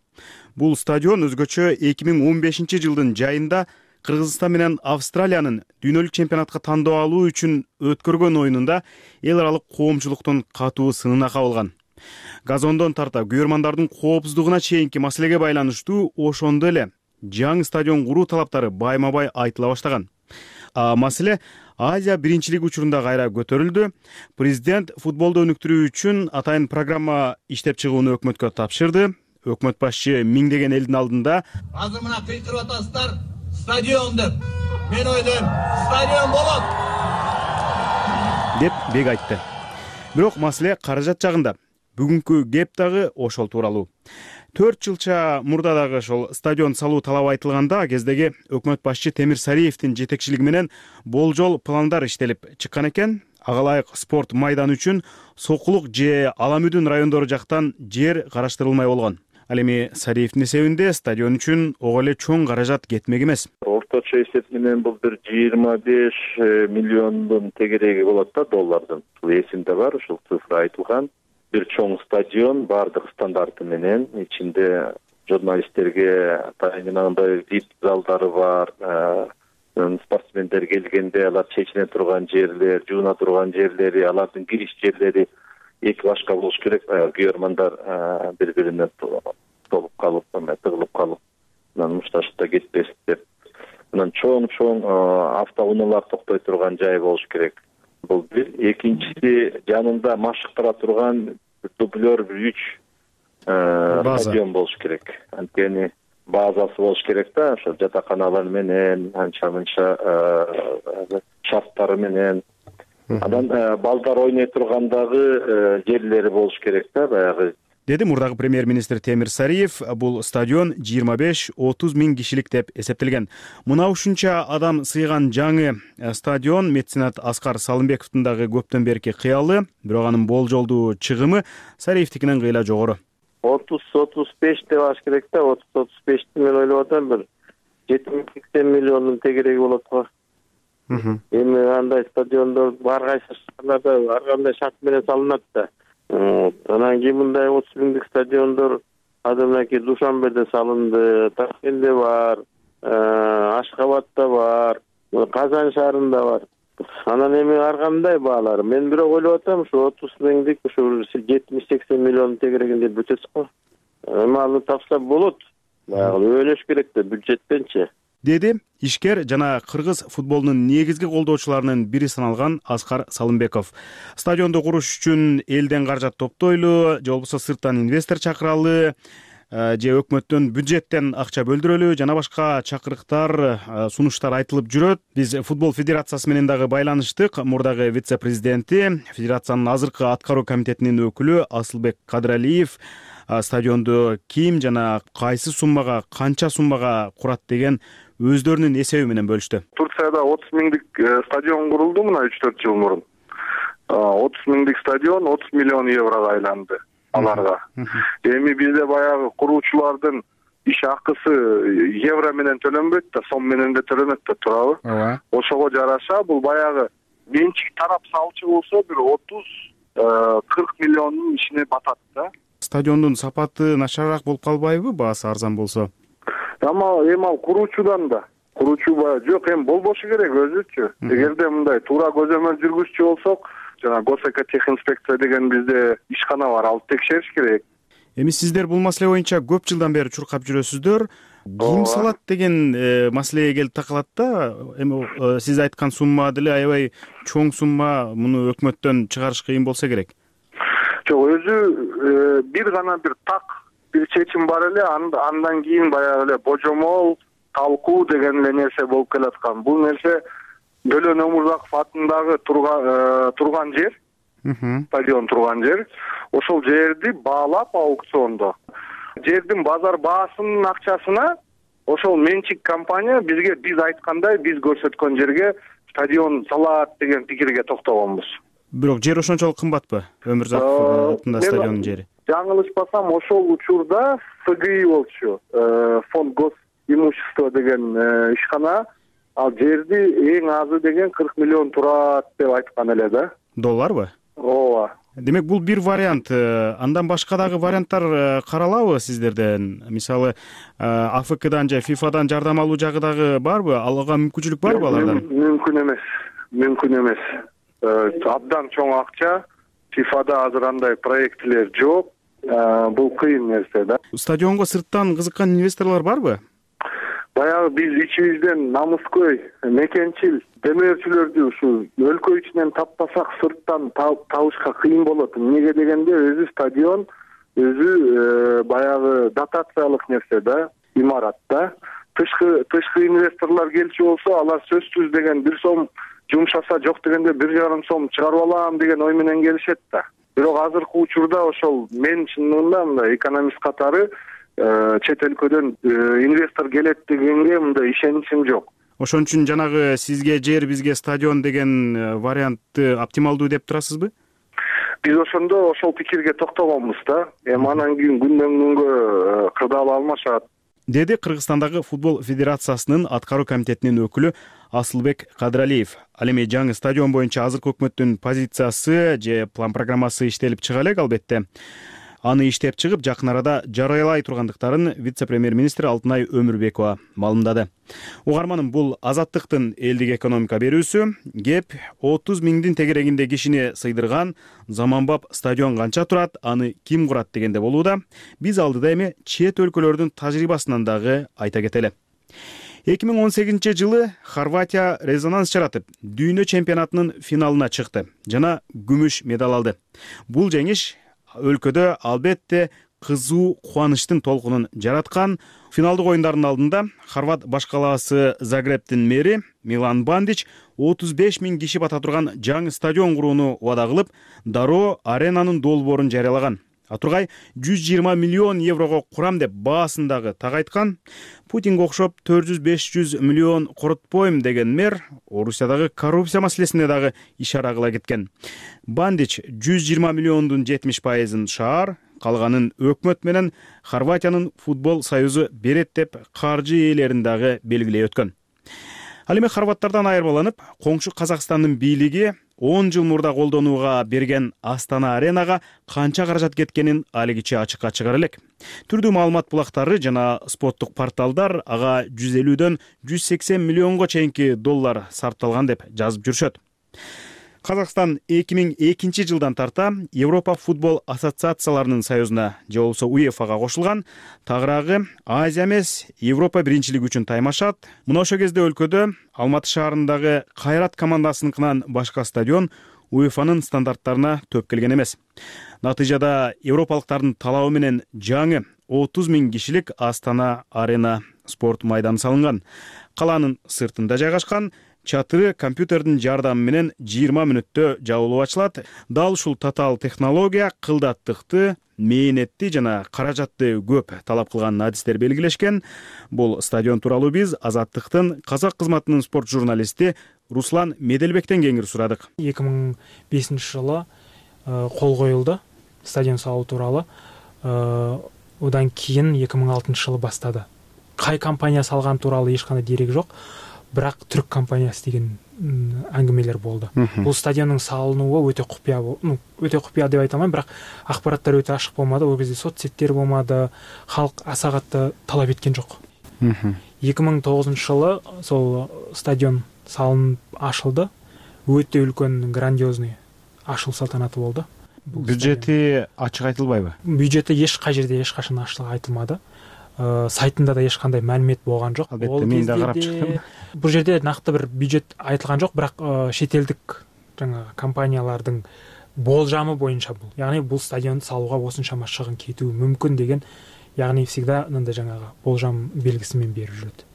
Speaker 7: Бул стадион өзгөчө 2015 жылдын жайында Кыргызстан менен Австралиянын дүйнөлүк чемпионатка тандоо алуу үчүн өткөргөн оюнунда эл аралык коомчулуктун катуу сынына кабылган. Газондон тарта күйөрмандардын коопсуздугуна чейинки маселеге байланыштуу ошондо эле жаңы стадион куруу талаптары байма-бай айтыла баштаган. Маселе Азия биринчилиги учурунда кайра көтөрүлдү. Президент футболду өнүктүрүү үчүн атайын программа иштеп чыгууну өкмөткө тапшырды. Өкмөт башчы миңдеген элдин алдында
Speaker 10: азыр мына кыйкырып атасыздар стадион деп. Мен ойлойм, стадион болот
Speaker 7: деп бек айтты. Бирок маселе каражат жагында. Бүгүнкү кеп дагы ошол тууралуу. 4 жылча мурда дагы ошол стадион салуу талабы айтылганда кездеги өкмөт башчы Темир Сариевдин жетекчилиги менен болжол пландар иштелип чыккан экен. Ага ылайык спорт майданы үчүн Сокулук же Аламүдүн райондору жактан жер караштырылмай болгон. Ал эми Сариевдин эсебинде стадион үчүн ого эле чоң каражат кетмек эмес.
Speaker 12: Орто орточо эсеп менен бул бир 25 миллиондун тегереги болот да, доллардан. Эсимде бар, ушул цифра айтылган. Бир чоң стадион, бардык стандарты менен, ичинде журналисттерге тайынагандай VIP залдары бар. Спортсмендер келгенде алар чечине турган жерлер, жууна турган жерлери, алардын кириш жерлери эки башка болуш керек. Күйөрмандар бири-бирине толуп калып, тыгылып калып, мушташып да кетпесин деп. Анан чоң автоунаалар токтой турган жай болуш керек. Бул бир. Экинчиси, жанында машыктыра турган дублер 3 стадион болуш керек. Анткени базасы болуш керек да, ошо жатаканалар менен, анча-мынча шарттары менен. Анан балдар ойной тургандагы жерлери болуш керек да, баягы.
Speaker 7: Деди мурдагы премьер-министр Темир Сариев. Бул стадион 25-30 миң кишилик деп эсептелген. Мына ушунча адам сыйган жаңы стадион меценат Аскар Салымбековдун дагы көптөн берки кыялы, бирок анын болжолдуу чыгымы Сариевдикинен кыйла жогору.
Speaker 12: 30-35 деп аш керек да, 30-35 мен ойлоп атам, бир 70-80 миллиондун тегереги болот го. Эми андай стадиондор ар кайсы шаарларда ар кандай шарт менен салынат да. Анан кийин мындай 30 миңдик стадиондор адамдaki Душанбеде салынды, Ташкентте бар, Ашкабадта бар, Казан шаарында бар. Анан эми ар кандай баалар. Мен бирок ойлоп атам, ушу 30 миңдик ушу 70-80 миллион тегерегин деп бүтөт го. Эми аны тапса болот. Баягы өлөш керек да бюджеттенчи.
Speaker 7: Деди ишкер жана кыргыз футболунун негизги колдоочуларынын бири саналган Аскар Салымбеков. Стадионду куруш үчүн элден каражат топтойлу, же болбосо сырттан инвестор чакыралы, же өкмөттөн бюджеттен акча бөлдүрөлү, жана башка чакырыктар, сунуштар айтылып жүрөт. Биз футбол федерациясы менен дагы байланыштык. Мурдагы вице-президенти, федерациянын азыркы аткаруу комитетинин өкүлү Асылбек Кадыралиев стадионду ким жана кайсы суммага, канча суммага курат деген өздөрүнүн эсеби менен бөлүштү.
Speaker 13: Турцияда 30 миңдик стадион курулду мына 3-4 жыл мурун. 30 миңдик стадион 30 миллион еврого айланды аларга. Эми бизде баягы куруучулардын иш акысы евро менен төлөнбөйт да, сом менен да төлөнөт да, туурабы? Ошого жараша бул баягы менчик тарап салчу болсо бир 30-40 миллиондун ишине батат да.
Speaker 7: Стадиондун сапаты начарыраак болуп калбайбы, баасы арзан болсо?
Speaker 13: Эми ал куруучудан да. Куруучу жок, эми болбошу керек өзүчү. Эгерде мындай туура көзөмөл жүргүзчү болсок, жана госэкотехинспекция деген бизде ишкана бар, ал текшериш керек.
Speaker 7: Эми сиздер бул маселе боюнча көп жылдан бери чуркап жүрөсүздөр. Ким салат деген маселеге келип такалат да. Эми сиз айткан сумма деле аябай чоң сумма, муну өкмөттөн чыгарыш кыйын болсо керек.
Speaker 13: Жок, өзү бир гана бир бир чечим бар эле, андан кийин баягы эле божомол, талкуу деген эле нерсе болуп келаткан. Бул нерсе Дөлөн Өмүрзаков атындагы турган жер, стадион турган жер. Ошол жерди баалап аукциондо. Жердин базар баасынын акчасына ошол менчик компания бизге биз айткандай, биз көрсөткөн жерге стадион салат деген пикирге токтогонбуз.
Speaker 7: Бирок жер ошончолук кымбатпы? Өмүрзаков атындагы стадиондун жери.
Speaker 13: Жаңылышпасам, ошол учурда ФГИ болчу, фонд госимущества деген ишкана, ал жерди эң азы деген 40 миллион турат деп айткан эле да.
Speaker 7: Долларбы?
Speaker 13: Ооба.
Speaker 7: Демек бул бир вариант. Андан башка дагы варианттар каралабы сиздерден? Мисалы, АФКдан же ФИФАдан жардам алуу жагы дагы барбы? Алууга мүмкүнчүлүк барбы алардан?
Speaker 13: Мүмкүн эмес. Абдан чоң акча. ФИФАда азыр андай проектилер жок. Бул кыйын нерсе да.
Speaker 7: Стадионго сырттан кызыккан инвесторлор барбы?
Speaker 13: Баягы биз ичибизден намыскөй, мекенчил демөөрчүлөрдү ушу өлкө ичинен таппасак сырттан табышка кыйын болот. Эмнеге дегенде өзү стадион, өзү баягы дотациялык нерсе да, имарат да. Тышкы инвесторлор келчү болсо, алар сөзсүз деген 1 сом жумшаса, жок дегенде 1,5 сом чыгарып алам деген ой менен келишет да. Бирок азыркы учурда ошол мен чынында мындай экономист катары чет өлкөдөн инвестор келет дегенге мындай ишеничим жок.
Speaker 7: Ошон үчүн жанагы сизге жер, бизге стадион деген вариантты оптималдуу деп турасызбы?
Speaker 13: Биз ошондо ошол пикирге токтогонбуз да. Эми анан кийин күндөн күнгө кырдаал алмашат.
Speaker 7: деди Кыргызстандагы футбол федерациясынын аткаруу комитетинин өкүлү Асылбек Кадыралиев. Ал эми жаңы стадион боюнча азыркы өкмөттүн позициясы же план программасы иштелип чыга элек, албетте. Аны иштеп чыгып, жакын арада жарыялай тургандыктарын вице-премьер-министр Алтынай Өмүрбекова маалымдады. Угарманым, бул Азаттыктын элдик экономика берүүсү. Кеп 30 миңдин тегерегинде кишини сыйдырган заманбап стадион канча турат, аны ким курат дегенде болууда. Биз алдыда эми чет өлкөлөрдүн тажрыйбасынан дагы айта кетели. 2018 жылы Хорватия резонанс жаратып, дүйнө чемпионатынын финалына чыкты жана күмүш медаль алды. Бул жеңиш өлкөдө албетте кызуу кубанычтын толкунун жараткан. Финалдык оюндардын алдында хорват баш калаасы Загребтин мэри Милан Бандич 35 миң киши бата турган жаңы стадион курууну убада кылып, дароо аренанын долбоорун жарыялаган. Атургай 120 миллион еврого курам деп баасын дагы так айткан. Путинге окшоп 400-500 миллион коротпойм деген мэр Орусиядагы коррупция маселесине дагы ишара кыла кеткен. Бандич 120 миллиондун 70%ын шаар, калганын өкмөт менен Хорватиянын футбол союзу берет деп каржы ээлерин дагы белгилей өткөн. Ал эми хорваттардан айырмаланып, коңшу Казакстандын бийлиги 10 жыл мурда колдонууга берген Астана аренага канча каражат кеткенин алигиче ачыкка чыгара элек. Түрдүү маалымат булактары жана спорттук порталдар ага 150дөн 180 миллионго чейинки доллар сарпталган деп жазып жүрүшөт. Казакстан 2002 жылдан тарта Европа футбол ассоциацияларынын союзуна же болбосо УЕФАга кошулган. Тагыраагы Азия эмес, Европа биринчилиги үчүн таймашат. Мына ошол кезде өлкөдө Алматы шаарындагы Кайрат командасыныкынан башка стадион УЕФАнын стандарттарына төп келген эмес. Натыйжада европалыктардын талабы менен жаңы 30 миң кишилик Астана арена спорт майданы салынган. Калаанын сыртында жайгашкан. Чатыры компьютердин жардамы менен 20 мүнөттө жабылып ачылат. Дал ушул татаал технология кылдаттыкты, мээнетти жана каражатты көп талап кылган адистер белгилешкен. Бул стадион тууралуу биз Азаттыктын казак кызматынын спорт журналисти Руслан Меделбектен кеңири сурадык.
Speaker 14: 2005 жылы кол коюлду стадион салуу тууралуу. Одан кийин 2006 жылы бастады. Кай компания салган тууралуу эч кандай дерек жок. Бирок түрк компаниясы деген аңгемелер болду. Бул стадиондун салынуу өтө купуя, өтө купуя деп айта алмайм, бирок акпараттар өтө ачык болмады. Ол кезде соцсеттер болмады, халк аса катты талап эткен жок. 2009 жылы сол стадион салынып ачылды. Өтө үлкөн грандиозный ачылуу салтанаты болду.
Speaker 7: Бюджети ачык айтылбайбы?
Speaker 14: Бюджети эч кай жерде эч качан ачык айтылмады. Сайтында да эч кандай маалимет болгон жок.
Speaker 7: Албетте мен да карап чыктым.
Speaker 14: Бул жерде накты бир бюджет айтылган жок, бирок шетелдик жаңа компаниялардын болжамы боюнча бул. Яғни бул стадионду салууга осунчама чыгым кетүү мүмкүн деген, яғни всегда мындай жаңагы болжам белгиси менен берип жүрөт.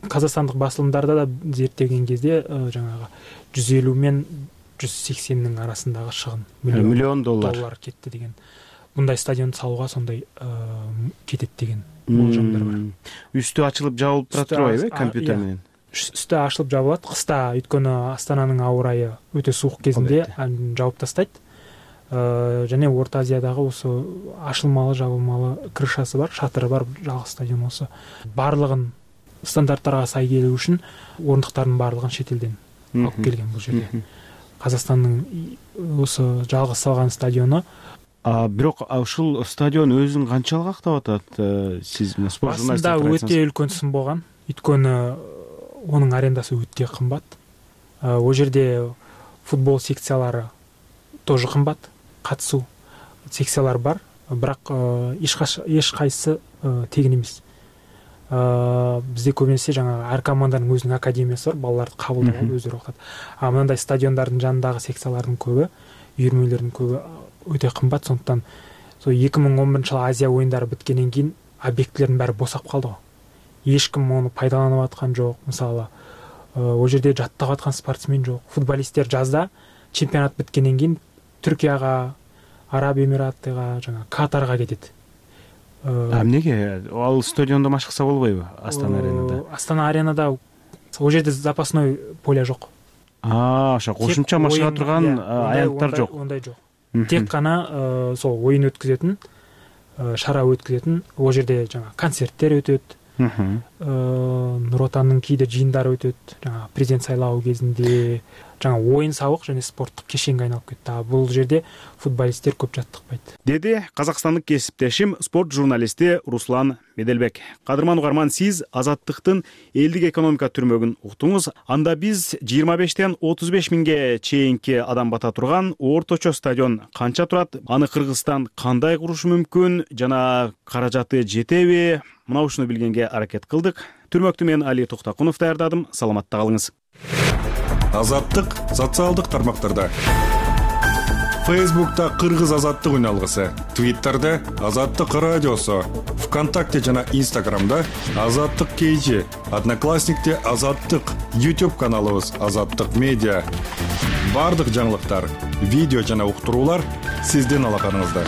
Speaker 14: Казакстандык басылымдарда да зерттеген кезде жаңагы 150 мен 180нин арасындагы чыгым
Speaker 7: миллион доллар
Speaker 14: кетти деген. Мындай стадионду салууга сондай кетет деген болжамдар бар.
Speaker 7: Үстү ачылып жабылып турат компьютер менен.
Speaker 14: Үстү ачылып жабылат. Кыста, өйткөнү Астананын аба ырайы өтө суук кезинде жабып тастайт. Жана Орто Азиядагы осы ачылмалы, жабылмалы крышасы бар, шатыры бар жалгыз стадион болсо. Барлыгын стандарттарга сай келүү үчүн орундуктардын барлыгын шет элден алып келген бул жерде. Казакстандын осы жалгыз салган стадиону.
Speaker 7: Бирок ушул стадион өзүн канчалык актап атат? Сиз спорт журналисти
Speaker 14: өтө үлкөн сын болгон. Өйткөнү онун арендасы өтө кымбат. Ол жерде футбол секциялары тоже кымбат. Катышуу секциялар бар, бирок эч кайсы тегин эмес. Бизде көбүнесе жаңа ар команданын өзүнүн академиясы бар, балдарды кабылдап алып өздөрү окутат. Мындай стадиондардын жанындагы секциялардын көбү, үйүрмөлөрдүн көбү өтө кымбат. Сондуктан 2011 жылы Азия оюндары бүткөндөн кийин объектилердин баары босап калды го. Эч ким муну пайдаланып аткан жок. Мисалы, ол жерде жаттап аткан спортсмен жок. Футболисттер жазда чемпионат бүткөндөн кийин Түркияга, Араб Эмираттыга, жаңа Катарга кетет.
Speaker 7: Эмнеге? Ал стадиондо маш кылса болбойбу? Астана аренада.
Speaker 14: Астана аренада ол жерде запасной поле жок.
Speaker 7: Ошо кошумча машыга турган аянттар жок.
Speaker 14: Ондай жок. Тек гана сол оюн өткөзөтүн, шара өткөзөтүн. Ол жерде жаңа концерттер өтөт, Нур Отандын кээде жыйындары өтөт, жаңа президент сайлабы кезинде, жаңа оюн сабык жана спорттук кешенге айналып кетти. Бул жерде футболисттер көп жаттыкпайт, деди
Speaker 7: казакстандык кесиптешим спорт журналисти Руслан Меделбек. Кадырман угарман, сиз Азаттыктын элдик экономика түрмөгүн уктуңуз. Анда биз 25-тен 35 миңге чейинки адам бата турган орточо стадион канча турат, аны Кыргызстан кандай курушу мүмкүн жана каражаты жетеби, мына ушуну билгенге аракет кылдык. Түрмөктү мен Али Токтакунов даярдадым. Саламатта калыңыз.
Speaker 15: Азаттык социалдык тармактарда. Фейсбукта Кыргыз азаттык үналгысы, Твиттерде Азаттык радиосу, ВКонтакте жана Инстаграмда Азаттык KG, Одноклассникте Азаттык, YouTube каналыбыз Азаттык медиа. Бардык жаңылыктар, видео жана уктуруулар сиздин алаканыңызда.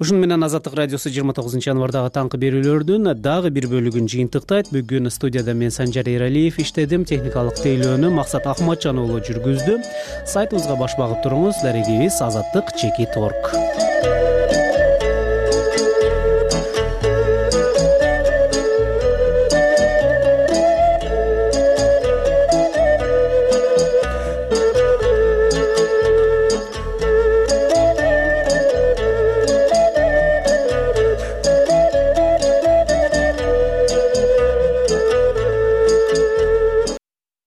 Speaker 2: Ушуну менен Азаттык радиосу 29 январдагы таңкы берүүлөрдүн дагы бир бөлүгүн жыйынтыктайт. Бүгүн студияда мен Санжар Эралиев иштедим, техникалык тейлөөнү Максат Ахматжан уулу жүргүздү. Сайтыбызга баш багып туруңуз. Дарегибиз Азаттык /org.